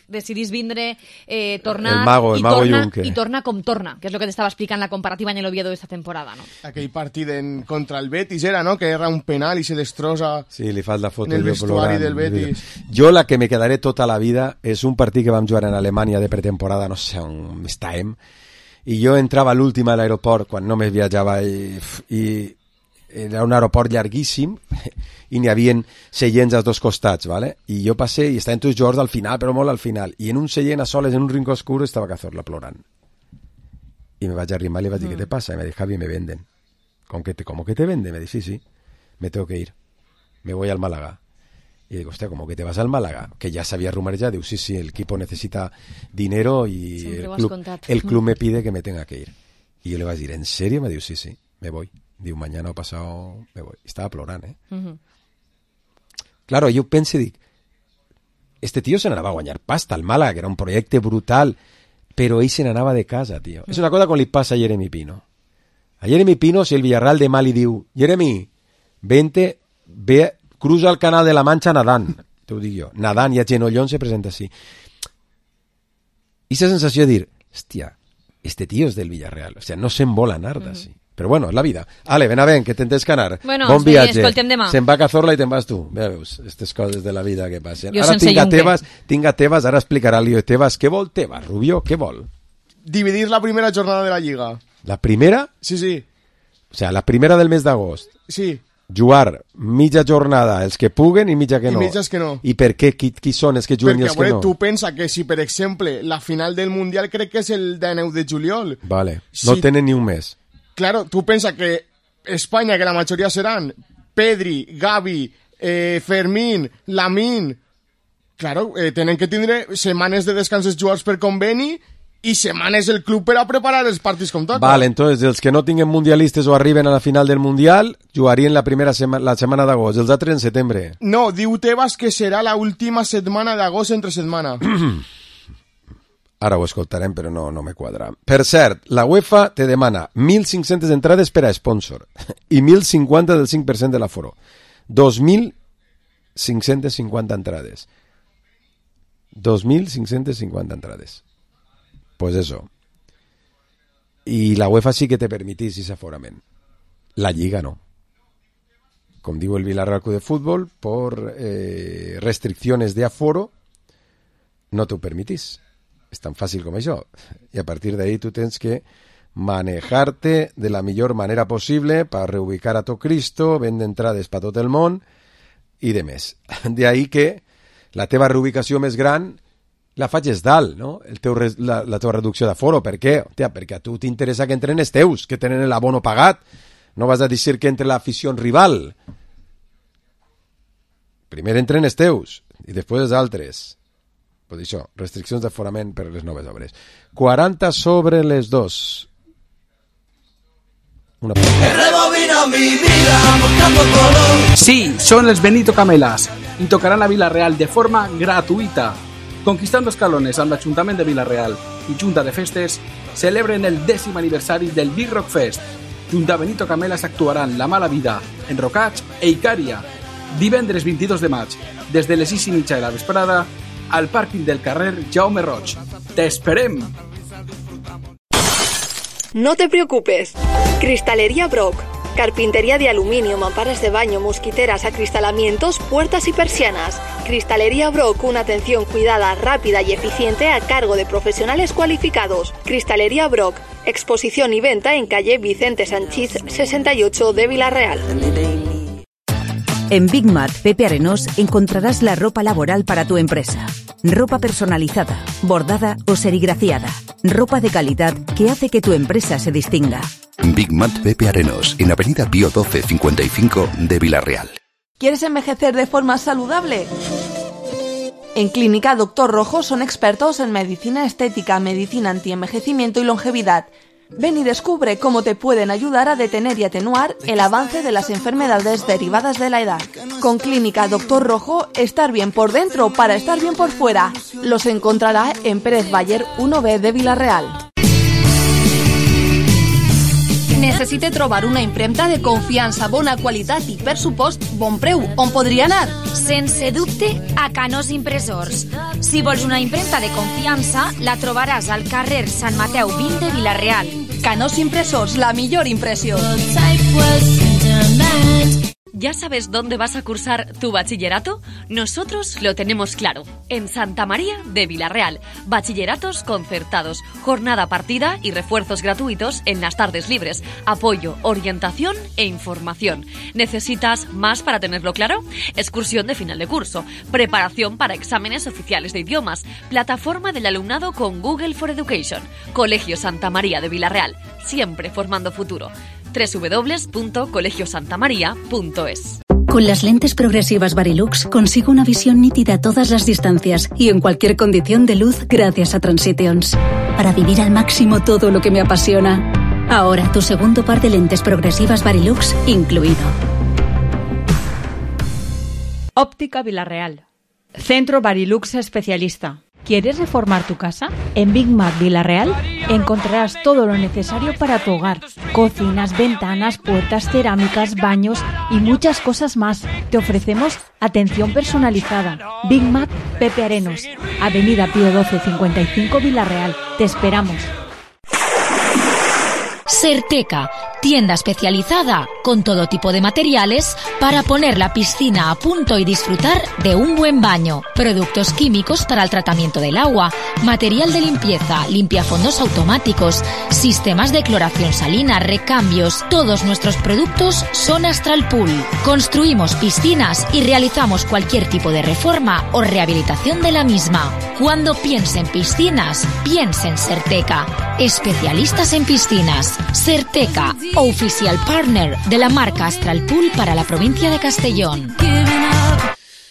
decidís vindre, eh, tornar... El mago, el i mago torna, Junque. I torna com torna, que és el que t'estava explicant la comparativa en l'Oviedo d'esta temporada, no? Aquell partit en, contra el Betis era, no? Que era un penal i se destrossa... Sí, li fas la foto. En el vestuari del Betis. Jo la que me quedaré tota la vida és un partit que vam jugar en Alemanya de pretemporada, no sé on estàvem, i jo entrava a l'últim a l'aeroport quan només viatjava i, i era un aeroport llarguíssim i n'hi havia seients als dos costats, ¿vale? I jo passé i estaven tots jugadors al final, però molt al final, i en un seient a soles, en un rincó oscur, estava Cazorla plorant. I me vaig arrimar i li vaig dir, mm. ¿qué te pasa? Y me dijo, Javi, me venden. ¿Cómo que te, ¿cómo que te venden? Me dice, sí, sí, me tengo que ir. Me voy al Málaga. Y digo, hostia, ¿cómo que te vas al Málaga? Que ya sabía rumores ya, digo, sí, sí, el equipo necesita dinero y el club, el club me pide que me tenga que ir. Y yo le voy a decir, ¿en serio? Me digo, sí, sí, me voy. Digo, mañana o pasado me voy. Estaba plorant, eh? Uh-huh. Claro, yo pensé, dic, este tío se n'anava a guanyar pasta al Málaga, que era un projecte brutal, però ell se n'anava de casa, tio. És una cosa com li passa a Jeremy Pino. A Jeremy Pino, si el Villarreal demà li diu Jeremy, vente, ve, cruza el canal de la Mancha nadant, te ho dic jo, nadant i a genollón se presenta així. I esa sensació de dir, hòstia, este tío és del Villarreal, o sea, no se'n vol anar d'ací. Mm-hmm. Però bueno, és la vida. Ale, ven a ven, que tens que anar. Bueno, bon viatge. Escoltem demà. Se'n va a Cazorla i te'n vas tu. Ja veus, aquestes coses de la vida que passen. Jo ara sense tinga Junque. Tebas, tinga Tebas, ara explicarà el lío de Tebas. Què vol Tebas, Rubio? Què vol? Dividir la primera jornada de la Lliga. La primera? Sí, sí. O sea, la primera del mes d'agost. Sí. Jugar mitja jornada els que puguen i mitja que I no. mitges que no. I per què? Qui, qui són els que juguen i Perquè, els a que veure, no? tu pensa que si, per exemple, la final del Mundial crec que és el dinou de juliol. Vale, no Si- tenen ni un mes. Claro, tú piensas que España, que la mayoría serán Pedri, Gavi, eh, Fermín, Lamine, claro, eh, tienen que tener semanas de descansos jugadors per conveni i setmanes el club per a preparar els partits com toca. Vale, entonces, els que no tinguen mundialistes o arriben a la final del Mundial, jugarien la primera sema la setmana d'agost, els altres en setembre. No, diu Tebas que serà la última setmana d'agost entre setmana. Ara ho escoltarem, però no, no me quadra. Per cert, la UEFA te demana mil cinc-centes entrades per a sponsor i mil cinquanta del cinc per cent de l'aforo. dos mil cinc-centes cinquanta entrades. dos mil cinc-centes cinquanta entrades. Pues eso. Y la UEFA sí que te permitís ese aforament. La Lliga no. Com diu el Villarreal Club de Fútbol, por eh, restricciones de aforo, no t'ho permitís. És tan fàcil com això. I a partir d'ahí tu tens que manejarte de la millor manera possible per reubicar a tot Cristo, vendre entrades per tot el món i de més. De ahí que la teva reubicació més gran la faig dalt, no? El teu, res- la, la teva reducció d'aforo. Per què? Hòstia, perquè a tu t'interessa que entren els teus, que tenen l'abono pagat. No vas a dir que entre l'afició rival. Primer entren els teus i després els altres. Pues això, restriccions d'aforament per les noves obres. quaranta sobre les dos. Una... Sí, son els Benito Camelas y tocarán a Villarreal de forma gratuita. Conquistando escalones amb l'Ajuntament de Villarreal i Junta de Festes celebren el dècim aniversari del Big Rock Fest. Junta Benito Camelas actuaran La Mala Vida, Enrocats e Icària. Divendres vint-i-dos de maig, des de les sis i mitja de la vesprada, al pàrquing del carrer Jaume Roig. ¡T'esperem! No te preocupes. Cristalería Brock. Carpintería de aluminio, mamparas de baño, mosquiteras, acristalamientos, puertas y persianas. Cristalería Brock, una atención cuidada, rápida y eficiente a cargo de profesionales cualificados. Cristalería Brock, exposición y venta en calle Vicente Sanchís sesenta y ocho de Villarreal. En Big Mat Pepe Arenós encontrarás la ropa laboral para tu empresa. Ropa personalizada, bordada o serigrafiada. Ropa de calidad que hace que tu empresa se distinga. Big Mat Pepe Arenós, en Avenida Pío doce cincuenta y cinco de Villarreal. ¿Quieres envejecer de forma saludable? En Clínica Doctor Rojo son expertos en medicina estética, medicina antienvejecimiento y longevidad. Ven y descubre cómo te pueden ayudar a detener y atenuar el avance de las enfermedades derivadas de la edad. Con Clínica Doctor Rojo, estar bien por dentro para estar bien por fuera. Los encontrará en Pérez Bayer uno B de Villarreal. Necessite trobar una impremta de confiança, bona qualitat i, per supost, bon preu. On podria anar? Sense dubte, a Canós Impressors. Si vols una impremta de confiança, la trobaràs al carrer Sant Mateu vint de Villarreal. Canós Impressors, la millor impressió. ¿Ya sabes dónde vas a cursar tu bachillerato? Nosotros lo tenemos claro. En Santa María de Villarreal. Bachilleratos concertados, jornada partida y refuerzos gratuitos en las tardes libres. Apoyo, orientación e información. ¿Necesitas más para tenerlo claro? Excursión de final de curso. Preparación para exámenes oficiales de idiomas. Plataforma del alumnado con Google for Education. Colegio Santa María de Villarreal. Siempre formando futuro. doble u doble u doble u punto colegio santa maría punto es. Con las lentes progresivas Varilux consigo una visión nítida a todas las distancias y en cualquier condición de luz gracias a Transitions. Para vivir al máximo todo lo que me apasiona. Ahora tu segundo par de lentes progresivas Varilux incluido. Óptica Villarreal. Centro Varilux especialista. ¿Quieres reformar tu casa? En Big Mac Villarreal encontrarás todo lo necesario para tu hogar. Cocinas, ventanas, puertas, cerámicas, baños y muchas cosas más. Te ofrecemos atención personalizada. Big Mac Pepe Arenos, Avenida Pío doce cincuenta y cinco Villarreal. Te esperamos. Serteca, tienda especializada con todo tipo de materiales para poner la piscina a punto y disfrutar de un buen baño. Productos químicos para el tratamiento del agua, material de limpieza, limpiafondos automáticos, sistemas de cloración salina, recambios. Todos nuestros productos son Astral Pool. Construimos piscinas y realizamos cualquier tipo de reforma o rehabilitación de la misma. Cuando piense en piscinas, piense en Serteca. Especialistas en piscinas. Serteca, oficial partner de la marca Astral Pool para la provincia de Castellón.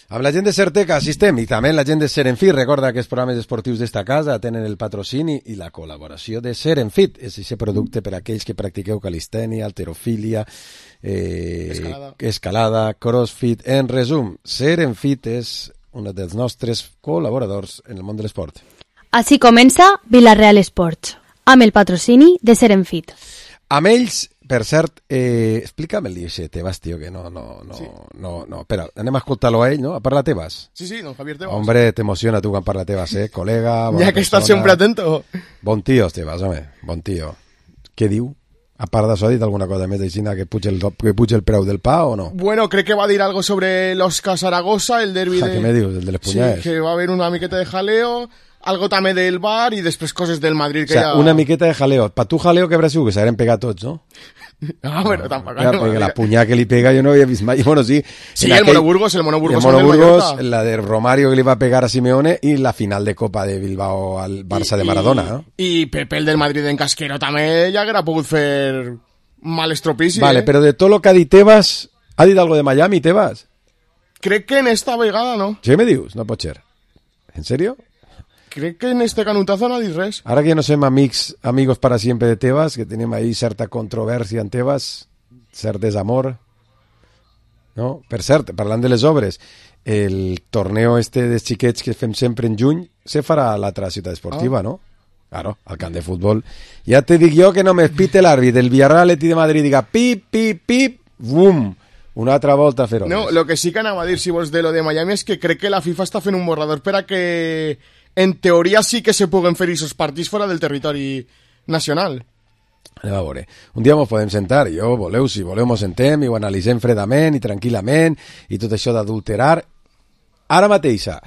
Amb la gent de Serteca assistem i també la gent de Serenfit. Recorda que els programes esportius d'esta casa tenen el patrocini i la col·laboració de Serenfit. És aquest producte per a aquells que practiqueu calistènia, halterofília, eh, escalada. escalada, crossfit. En resum, Serenfit és un dels nostres col·laboradors en el món de l'esport. Així comença Villarreal Esports, amb el patrocini de Serenfit. Amb ells, per cert, eh, explica'm-li això, Tebas, tio, que no, no, no, Sí. no, no, espera, anem a escoltar-lo a ell, no? A parlar Tebas. Sí, sí, don Javier Tebas. Hombre, t'emociona tu quan parla Tebas, eh? Col·lega, bona Ya que estás persona. siempre atento. Bon tio, Tebas, home, bon tio. Què diu? A part d'això, ha dit alguna cosa més d'aixina que puja el, que puja el preu del pa o no? Bueno, creo que va a decir algo sobre los Zaragoza, el derbi Ja, de... què me dius, el de les punyades? Sí, que va a haber una miqueta de jaleo, algo también del bar y después cosas del Madrid O que sea, ya... una miqueta de jaleo. Pa tu jaleo que habrà sigut, que s'hagueren pegat tots, no? Ah, pero tampoco... Clar, perquè la punyada que li pega jo no havia vist mai. Bueno, sí. Sí, en el aquell- Monoburgos, el Monoburgos el al del Monoburgos, Mallorca. la de Romario que li va pegar a Simeone i la final de Copa de Bilbao al Barça de Maradona, no? Y Pepe, el del Madrid en Casquero, también ya haguera pogut fer mal estropici, Vale, eh? però de tot lo que ha dit Tebas, ha dit algo de Miami, Tebas? Crec que en esta vegada no. Sí, me dius? No pot ser. En serio? Crec que en este canutazo no ha dit res. Ara que ja no som amics, amigos para siempre de Tebas, que tenim ahí certa controvèrsia en Tebas, cert desamor, no? Per cert, parlant de les obres, el torneo este de xiquets que fem sempre en juny se farà a l'altra ciutat esportiva, Ah. no? Claro, al camp de futbol. Ja te dic jo que no m'espite l'àrbit del Villarreal Atleti de Madrid, diga pip, pip, pip, bum, una altra volta a fer No, obres. lo que sí que anava a dir, si vols, de lo de Miami és que crec que la FIFA està fent un borrador per a que, en teoria, sí que se puguen fer aquests partits fora del territori nacional. Anem a veure. Un dia mos podem sentar, i jo, voleu, si voleu mos sentem i ho analitzem fredament i tranquil·lament i tot això d'adulterar. Ara mateixa,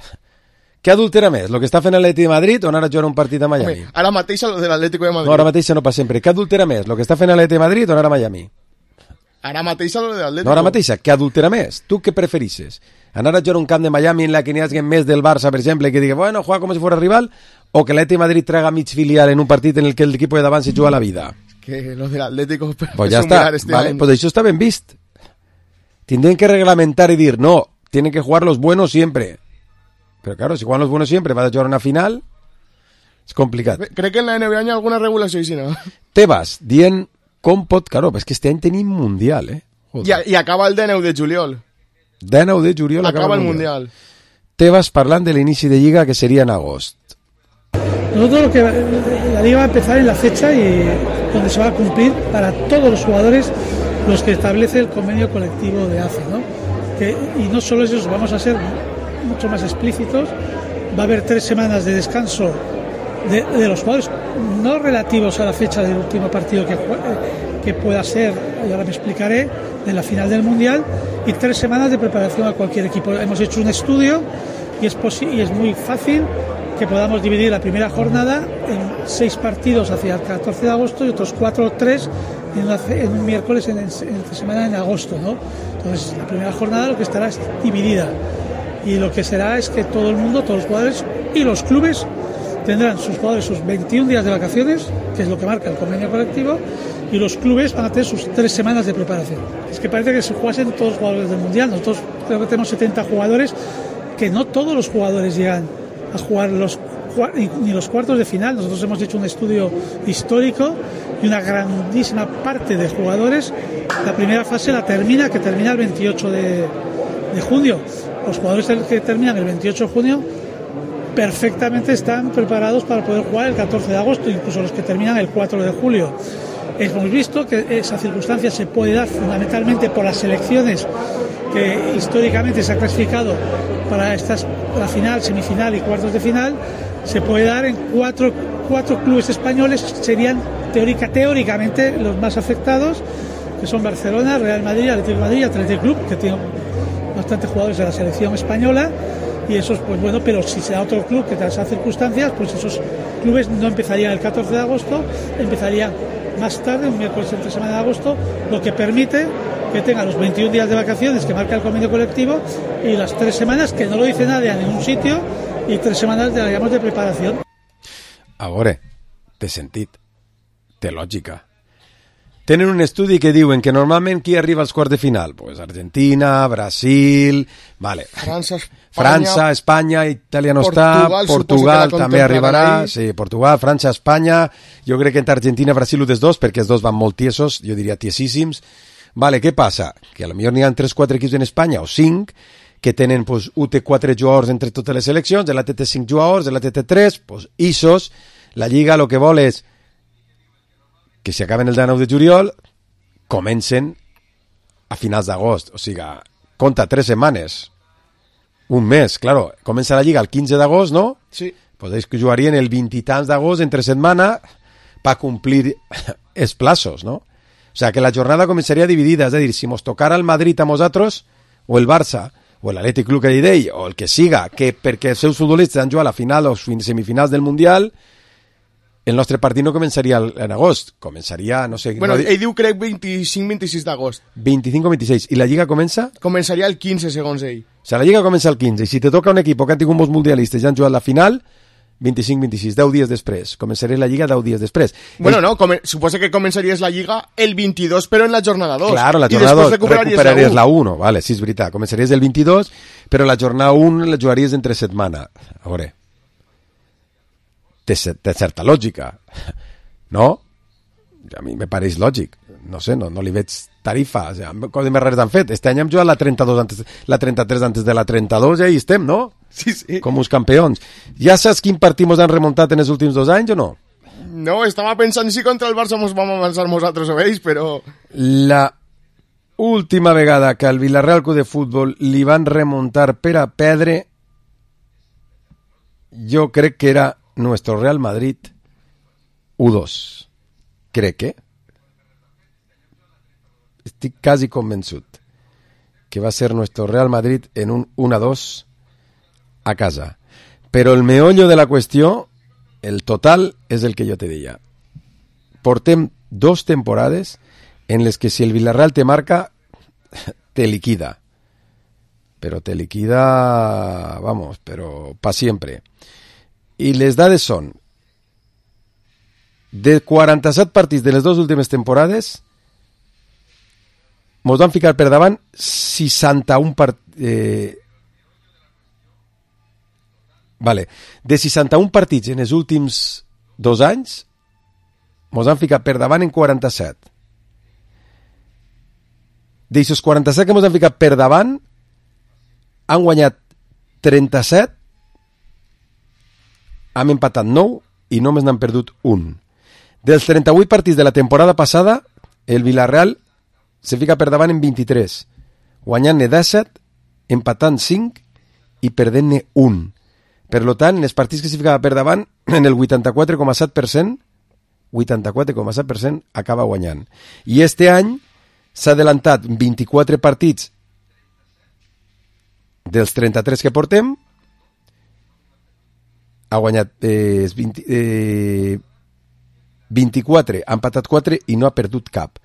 què adultera més? Lo que està fent l'Atleti de Madrid o anar a jugar un partit a Miami? Home, ara mateix lo de l'Atlético de Madrid. No, ara mateixa no passa sempre. Què adultera més? Lo que està fent l'Atleti de Madrid o anar a Miami? Ara mateix lo de l'Atlético. No, ara mateixa, què adultera més? Tu què preferixes? Anar a jugar un camp de Miami en la que n'hi hagi més del Barça, per exemple, que digui, bueno, juega com si fuera rival, o que l'Atleti de Madrid traga mig filial en un partit en el que el equipo de davant se juga la vida? Que lo del Atlético... Pues ya es un está, mirar este vale, año. pues això està ben vist. Tendrían que reglamentar y decir, no, tienen que jugar los buenos siempre. Pero claro, si juegan los buenos siempre, vas a jugar una final, és complicat. Crec que en la N B A hi ha alguna regulació així, no? Tebas, dient com pot... Claro, és que este any tenim Mundial, eh? I, I acaba el dinou de juliol. dinou de juliol acaba, Acaba el Mundial. Mundial. Tebas parlant de l'inici de Lliga, que seria en agost. Nosotros lo que la liga va a empezar en la fecha y donde se va a cumplir para todos los jugadores los que establece el convenio colectivo de A C E, ¿no? Que, y no solo eso, vamos a ser mucho más explícitos. Va a haber tres semanas de descanso de, de los jugadores, no relativos a la fecha del último partido que, que pueda ser, y ahora me explicaré, de la final del Mundial, y tres semanas de preparación a cualquier equipo. Hemos hecho un estudio y es, posi- y es muy fácil que podamos dividir la primera jornada en seis partidos hacia el catorce de agosto y otros cuatro o tres en, una, en un miércoles en, en, en semana en agosto, ¿no? Entonces la primera jornada lo que estará es dividida y lo que será es que todo el mundo, todos los jugadores y los clubes tendrán sus jugadores sus veintiún días de vacaciones, que es lo que marca el convenio colectivo, y los clubes van a tener sus tres semanas de preparación. Es que parece que se jugasen todos los jugadores del Mundial. Nosotros creo que tenemos setenta jugadores, que no todos los jugadores llegan a jugar los ni los cuartos de final. Nosotros hemos hecho un estudio histórico y una grandísima parte de jugadores la primera fase la termina, que termina el veintiocho de junio. Los jugadores que terminan el veintiocho de junio perfectamente están preparados para poder jugar el catorce de agosto, incluso los que terminan el cuatro de julio. Hemos visto que esa circunstancia se puede dar fundamentalmente por las selecciones que históricamente se ha clasificado para estas, la final, semifinal y cuartos de final. Se puede dar en cuatro, cuatro clubes españoles, serían teórica, teóricamente los más afectados, que son Barcelona, Real Madrid, Atlético de Madrid y Athletic Club, que tienen bastantes jugadores de la selección española. Y esos, pues bueno, pero si se da otro club que da esas circunstancias, pues esos clubes no empezarían el catorce de agosto, empezarían más tarde, un miércoles entre semana de agosto, lo que permite que tenga los veintiún días de vacaciones que marca el convenio colectivo y las tres semanas que no lo dice nadie en ningún sitio y tres semanas, digamos, de preparación. Ahora, té sentit, té lògica. Tenen un estudi que diuen que normalment qui arriba als quarts de final? Pues Argentina, Brasil, vale. França, Espanya, França, Espanya, Itàlia no està, Portugal, Portugal també arribarà, ahí. sí, Portugal, França, Espanya, jo crec que entre Argentina i Brasil un dels dos, perquè els dos van molt tiesos, jo diria tiesíssims. Vale, què passa? Que a lo millor n'hi ha tres quatre equips en Espanya, o cinc, que tenen pues, U T quatre jugadors entre totes les seleccions, de l'A T T cinc jugadors, de l'A T T tres, pues, isos, la Lliga el que vol és que si acaben el dia nou de juliol, comencen a finals d'agost. O sigui, compta tres setmanes. Un mes, claro. Comença la Lliga el quinze d'agost, ¿no? Sí. Pues que jugarien el vint i tants d'agost entre setmana para cumplir els plazos, ¿no? O sea, que la jornada començaria dividida. És a dir, si mos tocara el Madrid a nosaltres, o el Barça, o l'Atlètic Club que d'ell, o el que siga, que perquè els seus futbolistes han jugat a la final o semifinals del Mundial, el nostre partit no començaria en agost, començaria, no sé... Bueno, no, ell diu crec vint-i-cinc vint-i-sis d'agost. vint-i-cinc o vint-i-sis. I la Lliga comença? Començaria el quinze, segons ell. O sigui, la Lliga comença el quinze, i si te toca un equip que han tingut molts mundialistes i han jugat la final, vint-i-cinc vint-i-sis, deu dies després. Començaria la Lliga deu dies després. Bueno, el... no, come... suposa que començaries la Lliga el vint-i-dos, però en la jornada dos. Claro, la jornada dos recuperaries la u. Vale, sí, és veritat. Començaries el vint-i-dos, però la jornada u la jugaries entre setmana. A veure, té, té certa lògica. No? A mi me pareix lògic. No sé, no, no li veig tarifa. O sigui, coses més rares han fet. Este any hem jugat la trenta-dos antes, la trenta-tres antes de la trenta-dos i ahí estem, no? Sí, sí. Com uns campions. Ja saps quin partit mos han remuntat en els últims dos anys o no? No, estava pensant si contra el Barça mos vam avançar nosaltres o ells, però... La última vegada que al Villarreal Club de Futbol li van remuntar per a perdre, jo crec que era nuestro Real Madrid u dos. Crec que estic quasi convençut que va ser nuestro Real Madrid en un u a dos a casa. Però el meollo de la qüestió, el total, és el que jo te deia. Portem dos temporades en les que si el Villarreal te marca, te liquida. Pero te liquida, vamos, pero pa siempre. I les dades són de quaranta-set partits de les dues últimes temporades, mos van ficar per davant seixanta-un partits... Eh... Vale. De seixanta-un partits en els últims dos anys, mos han ficat per davant en quaranta-set. D'eixos quaranta-set que mos han ficat per davant, han guanyat trenta-set, hem empatat nou i només n'han perdut un. Dels trenta-vuit partits de la temporada passada, el Villarreal se fica per davant en vint-i-tres, guanyant-ne disset, empatant cinc i perdent-ne un. Per tant, en els partits que se ficava per davant, en el vuitanta-quatre coma set per cent, vuitanta-quatre coma set per cent acaba guanyant. I este any s'ha adelantat vint-i-quatre partits dels trenta-tres que portem, ha guanyat eh, vint, eh, vint-i-quatre, ha empatat quatre i no ha perdut cap.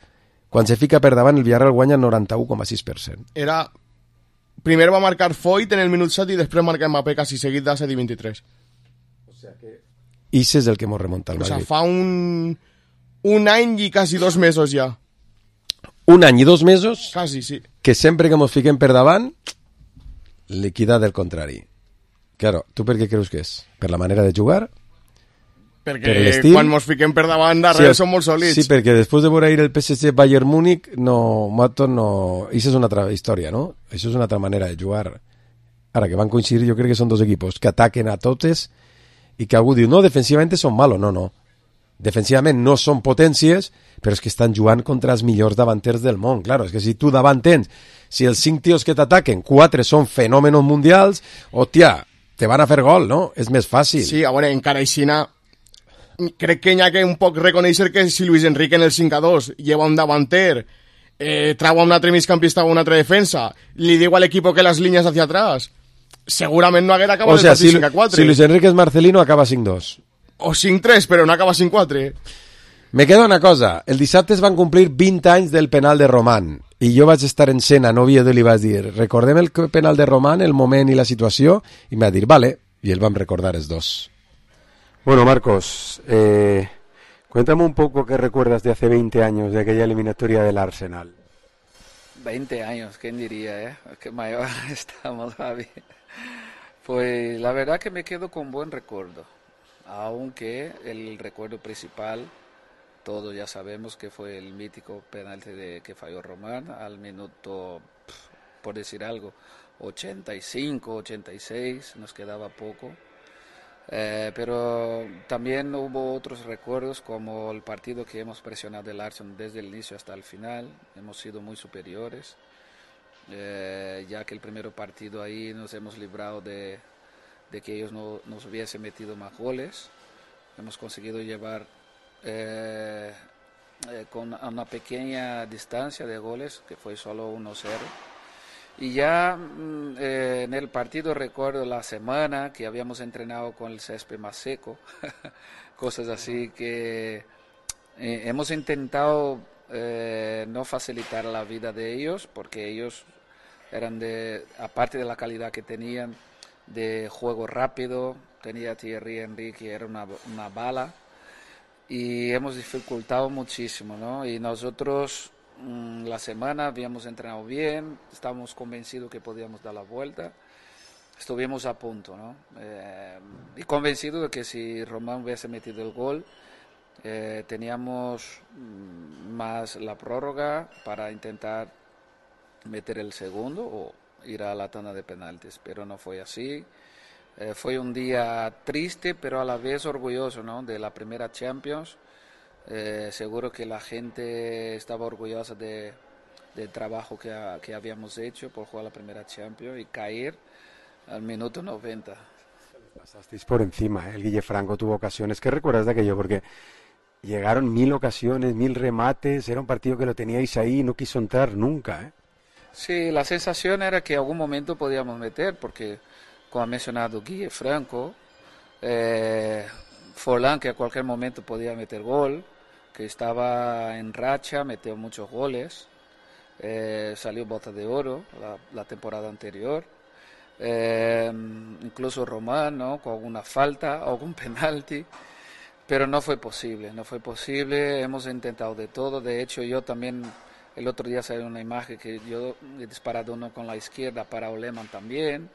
Quan se fica per davant, el Villarreal guanya noranta-u coma sis per cent. Era... Primer va marcar Foyt en el minut set i després marca Mbappé quasi seguit de set i vint-i-tres. O sea que... Ix és el que mos remunta al Madrid. O sea, fa un... un any i quasi dos mesos ja. Un any i dos mesos... Quasi, sí. Que sempre que mos fiquem per davant, liquida del contrari. Claro, tu per què creus que és? Per la manera de jugar? Perquè per quan mos fiquem per davant darrere sí, som molt sòlids. Sí, perquè després de veure ir el P S G Bayern Múnich, no, Mato, no... Això és una altra història, no? Això és una altra manera de jugar. Ara, que van coincidir, jo crec que són dos equipos que ataquen a totes i que algú diu, no, defensivament són malos. No, no. Defensivament no són potències, però és que estan jugant contra els millors davanters del món. Claro, és que si tu davant tens, si els cinc tios que t'ataquen, quatre són fenòmenos mundials, hòstia, te van a fer gol, no? És més fàcil. Sí, a veure, encara aixina, crec que hi ha que un poc reconèixer que si Luis Enrique en el cinc a dos lleva un davanter, eh, trau a un altre migcampista o una altra defensa, li diu a l'equip que les línies hacia atrás, segurament no haguera acabat o sea, el partit si, cinc a quatre. Si Luis Enrique és Marcelino, acaba cinc dos. O cinc tres, però no acaba cinc quatre. Me queda una cosa. El dissabte es van complir vint anys del penal de Román i jo vaig estar en Sena, a Oviedo, i li vaig dir, recordem el penal de Román, el moment i la situació, i me va dir, vale, i el vam recordar els dos. Bueno, Marcos, eh, cuéntame un poco qué recuerdas de hace veinte años, de aquella eliminatoria del Arsenal. veinte años, ¿quién diría, eh? Qué mayor estamos, Javi. Pues la verdad que me quedo con buen recuerdo, aunque el recuerdo principal, todos ya sabemos que fue el mítico penalti de, que falló Román al minuto, por decir algo, ochenta y cinco, ochenta y seis, nos quedaba poco. Eh, pero también hubo otros recuerdos como el partido que hemos presionado el Arsenal desde el inicio hasta el final, hemos sido muy superiores, eh, ya que el primer partido ahí nos hemos librado de, de que ellos no nos hubiesen metido más goles, hemos conseguido llevar eh, eh, con una pequeña distancia de goles, que fue solo uno cero. Y ya eh, en el partido recuerdo la semana que habíamos entrenado con el césped más seco, cosas así que eh, hemos intentado eh, no facilitar la vida de ellos, porque ellos eran de, aparte de la calidad que tenían de juego rápido, tenía Thierry Henry que era una, una bala, y hemos dificultado muchísimo, ¿no? Y nosotros la semana habíamos entrenado bien, estábamos convencidos que podíamos dar la vuelta, estuvimos a punto, ¿no? Eh, y convencidos de que si Román hubiese metido el gol, eh, teníamos más la prórroga para intentar meter el segundo o ir a la tanda de penaltis, pero no fue así. Eh, fue un día triste, pero a la vez orgulloso, ¿no? De la primera Champions. Eh, seguro que la gente estaba orgullosa de, del trabajo que, a, que habíamos hecho por jugar la primera Champions y caer al minuto noventa. Pasasteis por encima, ¿eh? El Guille Franco tuvo ocasiones. ¿Qué recuerdas de aquello? Porque llegaron mil ocasiones, mil remates, era un partido que lo teníais ahí y no quiso entrar nunca, ¿eh? Sí, la sensación era que en algún momento podíamos meter, porque como ha mencionado Guille Franco, eh, Forlán que a cualquier momento podía meter gol, que estaba en racha, metió muchos goles, eh, salió bota de oro la, la temporada anterior, eh, incluso Román, ¿no? Con alguna falta o algún penalti, pero no fue posible, no fue posible, hemos intentado de todo, de hecho yo también, el otro día salió una imagen que yo he disparado uno con la izquierda para Oleman también.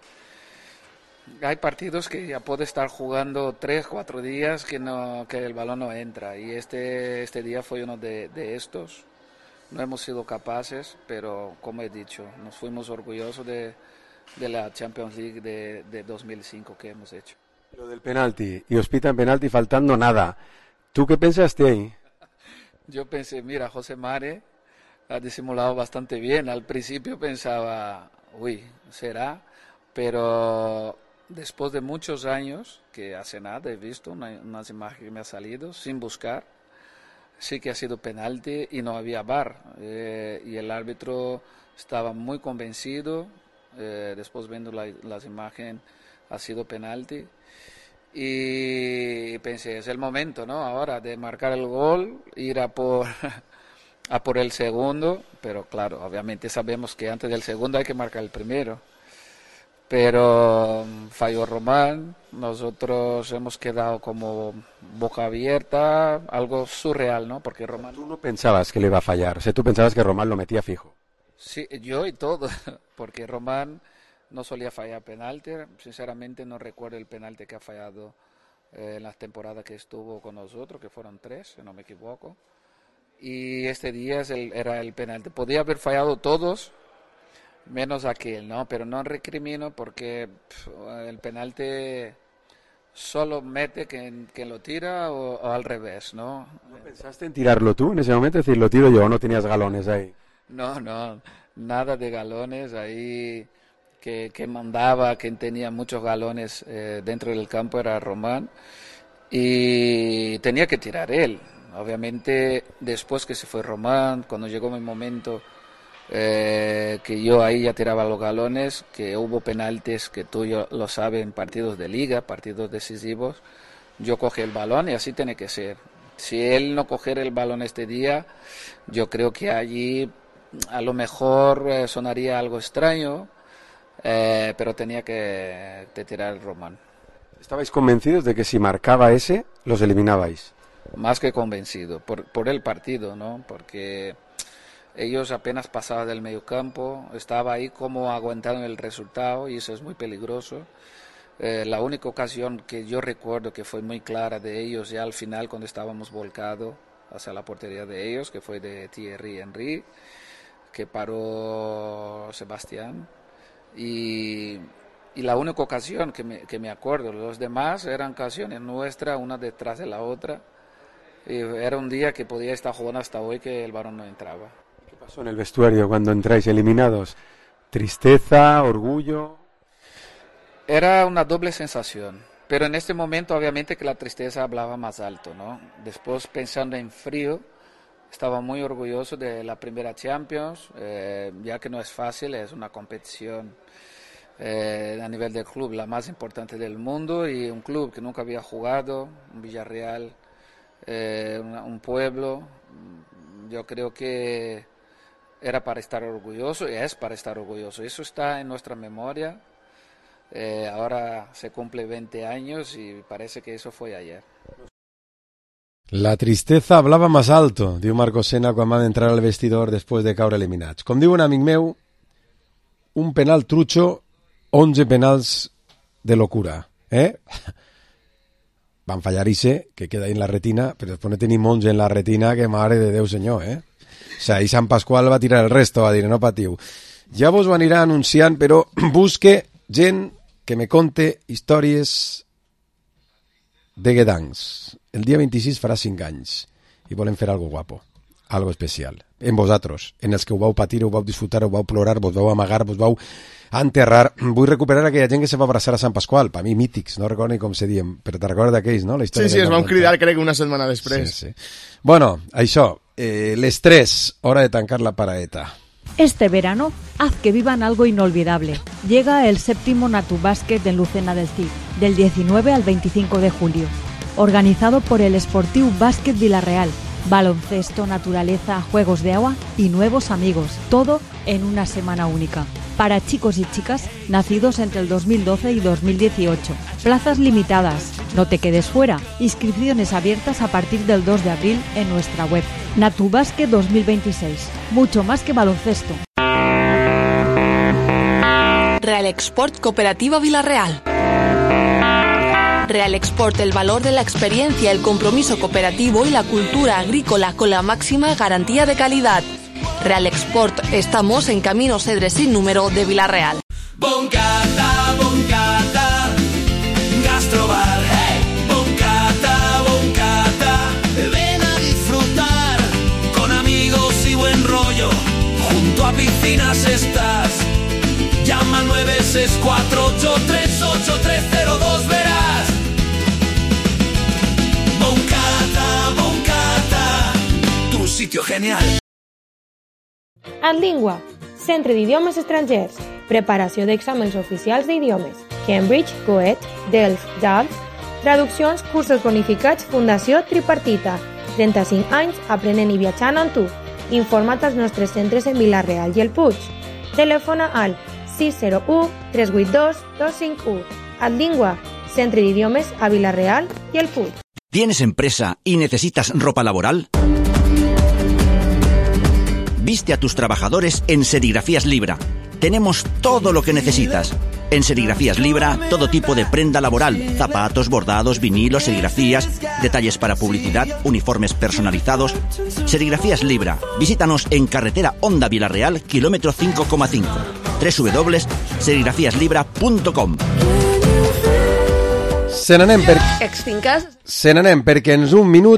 Hay partidos que ya puede estar jugando tres, cuatro días que no que el balón no entra, y este este día fue uno de, de estos. No hemos sido capaces, pero como he dicho, nos fuimos orgullosos de, de la Champions League de, de dos mil cinco que hemos hecho. Lo del penalti, y os pitan penalti faltando nada. ¿Tú qué pensaste ahí? Yo pensé, mira, José Mare ha disimulado bastante bien. Al principio pensaba, uy, será, pero después de muchos años, que hace nada he visto una, unas imágenes que me ha salido sin buscar, sí que ha sido penalti y no había V A R, eh, y el árbitro estaba muy convencido, eh, después viendo la, las imágenes ha sido penalti, y pensé, es el momento, ¿no? Ahora de marcar el gol, ir a por, a por el segundo, pero claro, obviamente sabemos que antes del segundo hay que marcar el primero. Pero falló Román, nosotros hemos quedado como boca abierta, algo surreal, ¿no? Porque Román... Tú no pensabas que le iba a fallar, o sea, tú pensabas que Román lo metía fijo. Sí, yo y todo, porque Román no solía fallar penalti, sinceramente no recuerdo el penalti que ha fallado eh, en las temporadas que estuvo con nosotros, que fueron tres, si no me equivoco, y este día es el, era el penalti. Podía haber fallado todos, Menos aquel, ¿no? Pero no recrimino porque pff, el penalti solo mete quien, quien lo tira o, o al revés, ¿no? ¿No pensaste en tirarlo tú en ese momento? Es decir, lo tiro yo, ¿o no tenías galones ahí? No, no, nada de galones ahí. Que, que mandaba, quien tenía muchos galones eh, dentro del campo era Román y tenía que tirar él. Obviamente después que se fue Román, cuando llegó mi momento eh, que yo ahí ya tiraba los galones, que hubo penaltis que tú yo, lo sabes en partidos de liga, partidos decisivos, yo cogí el balón y así tiene que ser. Si él no cogiera el balón este día, yo creo que allí a lo mejor eh, sonaría algo extraño. Eh, pero tenía que, que tirar el Román. ¿Estabais convencidos de que si marcaba ese, los eliminabais? Más que convencido, por, por el partido, ¿no? Porque ellos apenas pasaban del mediocampo, estaba ahí como aguantando el resultado y eso es muy peligroso. Eh, la única ocasión que yo recuerdo que fue muy clara de ellos ya al final cuando estábamos volcados hacia la portería de ellos, que fue de Thierry Henry, que paró Sebastián. Y, y la única ocasión que me, que me acuerdo, los demás eran ocasiones nuestras, una detrás de la otra. Y era un día que podía estar jugando hasta hoy que el balón no entraba. ¿Qué pasó en el vestuario cuando entráis eliminados? ¿Tristeza, orgullo? Era una doble sensación, pero en este momento obviamente que la tristeza hablaba más alto, ¿no? Después pensando en frío, estaba muy orgulloso de la primera Champions, eh, ya que no es fácil, es una competición eh, a nivel del club la más importante del mundo y un club que nunca había jugado, un Villarreal, eh, una, un pueblo. Yo creo que era para estar orgulloso y es para estar orgulloso. Eso está en nuestra memoria. Eh, ahora se cumple veinte años y parece que eso fue ayer. La tristeza hablava més alto, diu Marco Sena quan va entrar al vestidor després de caure eliminats. Com diu un amic meu, un penal trucho, onze penals de locura. Eh? Van fallar ese, que queda ahí en la retina, però després no tenim onze en la retina, que mare de Déu senyor, eh? O sea, ahí Sant Pasqual va tirar el resto, va dir, no patiu. Ja vos ho anirà anunciant, però busque gent que me conte històries de Gdansk. El dia vint-i-sis farà cinc anys i volem fer algo guapo, algo especial. En vosaltres, en els que ho vau patir, ho vau disfrutar, ho vau plorar, vos vau amagar, vos vau enterrar. Vull recuperar aquella gent que se va abraçar a Sant Pasqual, per mi mítics, no recordo ni com se diem, però te recordes d'aquells, no? La sí, sí, es van cridar crec una setmana després. Sí, sí. Bueno, això, eh, les tres, hora de tancar la paraeta. Este verano, haz que vivan algo inolvidable. Llega el séptimo Natu Básquet en Lucena del Cid, del diecinueve al veinticinco de julio. Organizado por el Sportiu Básquet Villarreal. Baloncesto, naturaleza, juegos de agua y nuevos amigos. Todo en una semana única. Para chicos y chicas nacidos entre el dos mil doce y dos mil dieciocho. Plazas limitadas. No te quedes fuera. Inscripciones abiertas a partir del dos de abril en nuestra web. Natu Básquet dos mil veintiséis. Mucho más que baloncesto. Real Export Cooperativa Villarreal. Real Export, el valor de la experiencia, el compromiso cooperativo y la cultura agrícola con la máxima garantía de calidad. Real Export, estamos en Camino Cedre sin número de Villarreal. Boncata, boncata, gastrobar, hey. Boncata, boncata, ven a disfrutar con amigos y buen rollo. Junto a piscinas estás. Llama al nueve seis cuatro ocho tres ocho tres cero dos, verás. Boncata, boncata, tu sitio genial. Adlingua, Centre d'Idiomes Estrangers. Preparació d'exàmens oficials d'idiomes. Cambridge, Goethe, Delft, Delft. Traduccions, cursos bonificats, Fundació Tripartita. trenta-cinc anys aprenent i viatjant amb tu. Informa't als nostres centres en Vila-real i el Puig. Telefona al sis zero u tres vuit dos dos cinc u. Adlingua, Centre d'Idiomes a Vila-real y el Puig. ¿Tienes empresa y necesitas ropa laboral? Viste a tus trabajadores en Serigrafías Libra. Tenemos todo lo que necesitas. En Serigrafías Libra, todo tipo de prenda laboral, zapatos, bordados, vinilos, serigrafías, detalles para publicidad, uniformes personalizados. Serigrafías Libra. Visítanos en carretera Honda Villarreal, kilómetro cinco coma cinco. doble u doble u doble u punt serigrafias libra punt com. Se n'anem per... Extinques? Se n'anem perquè en un minut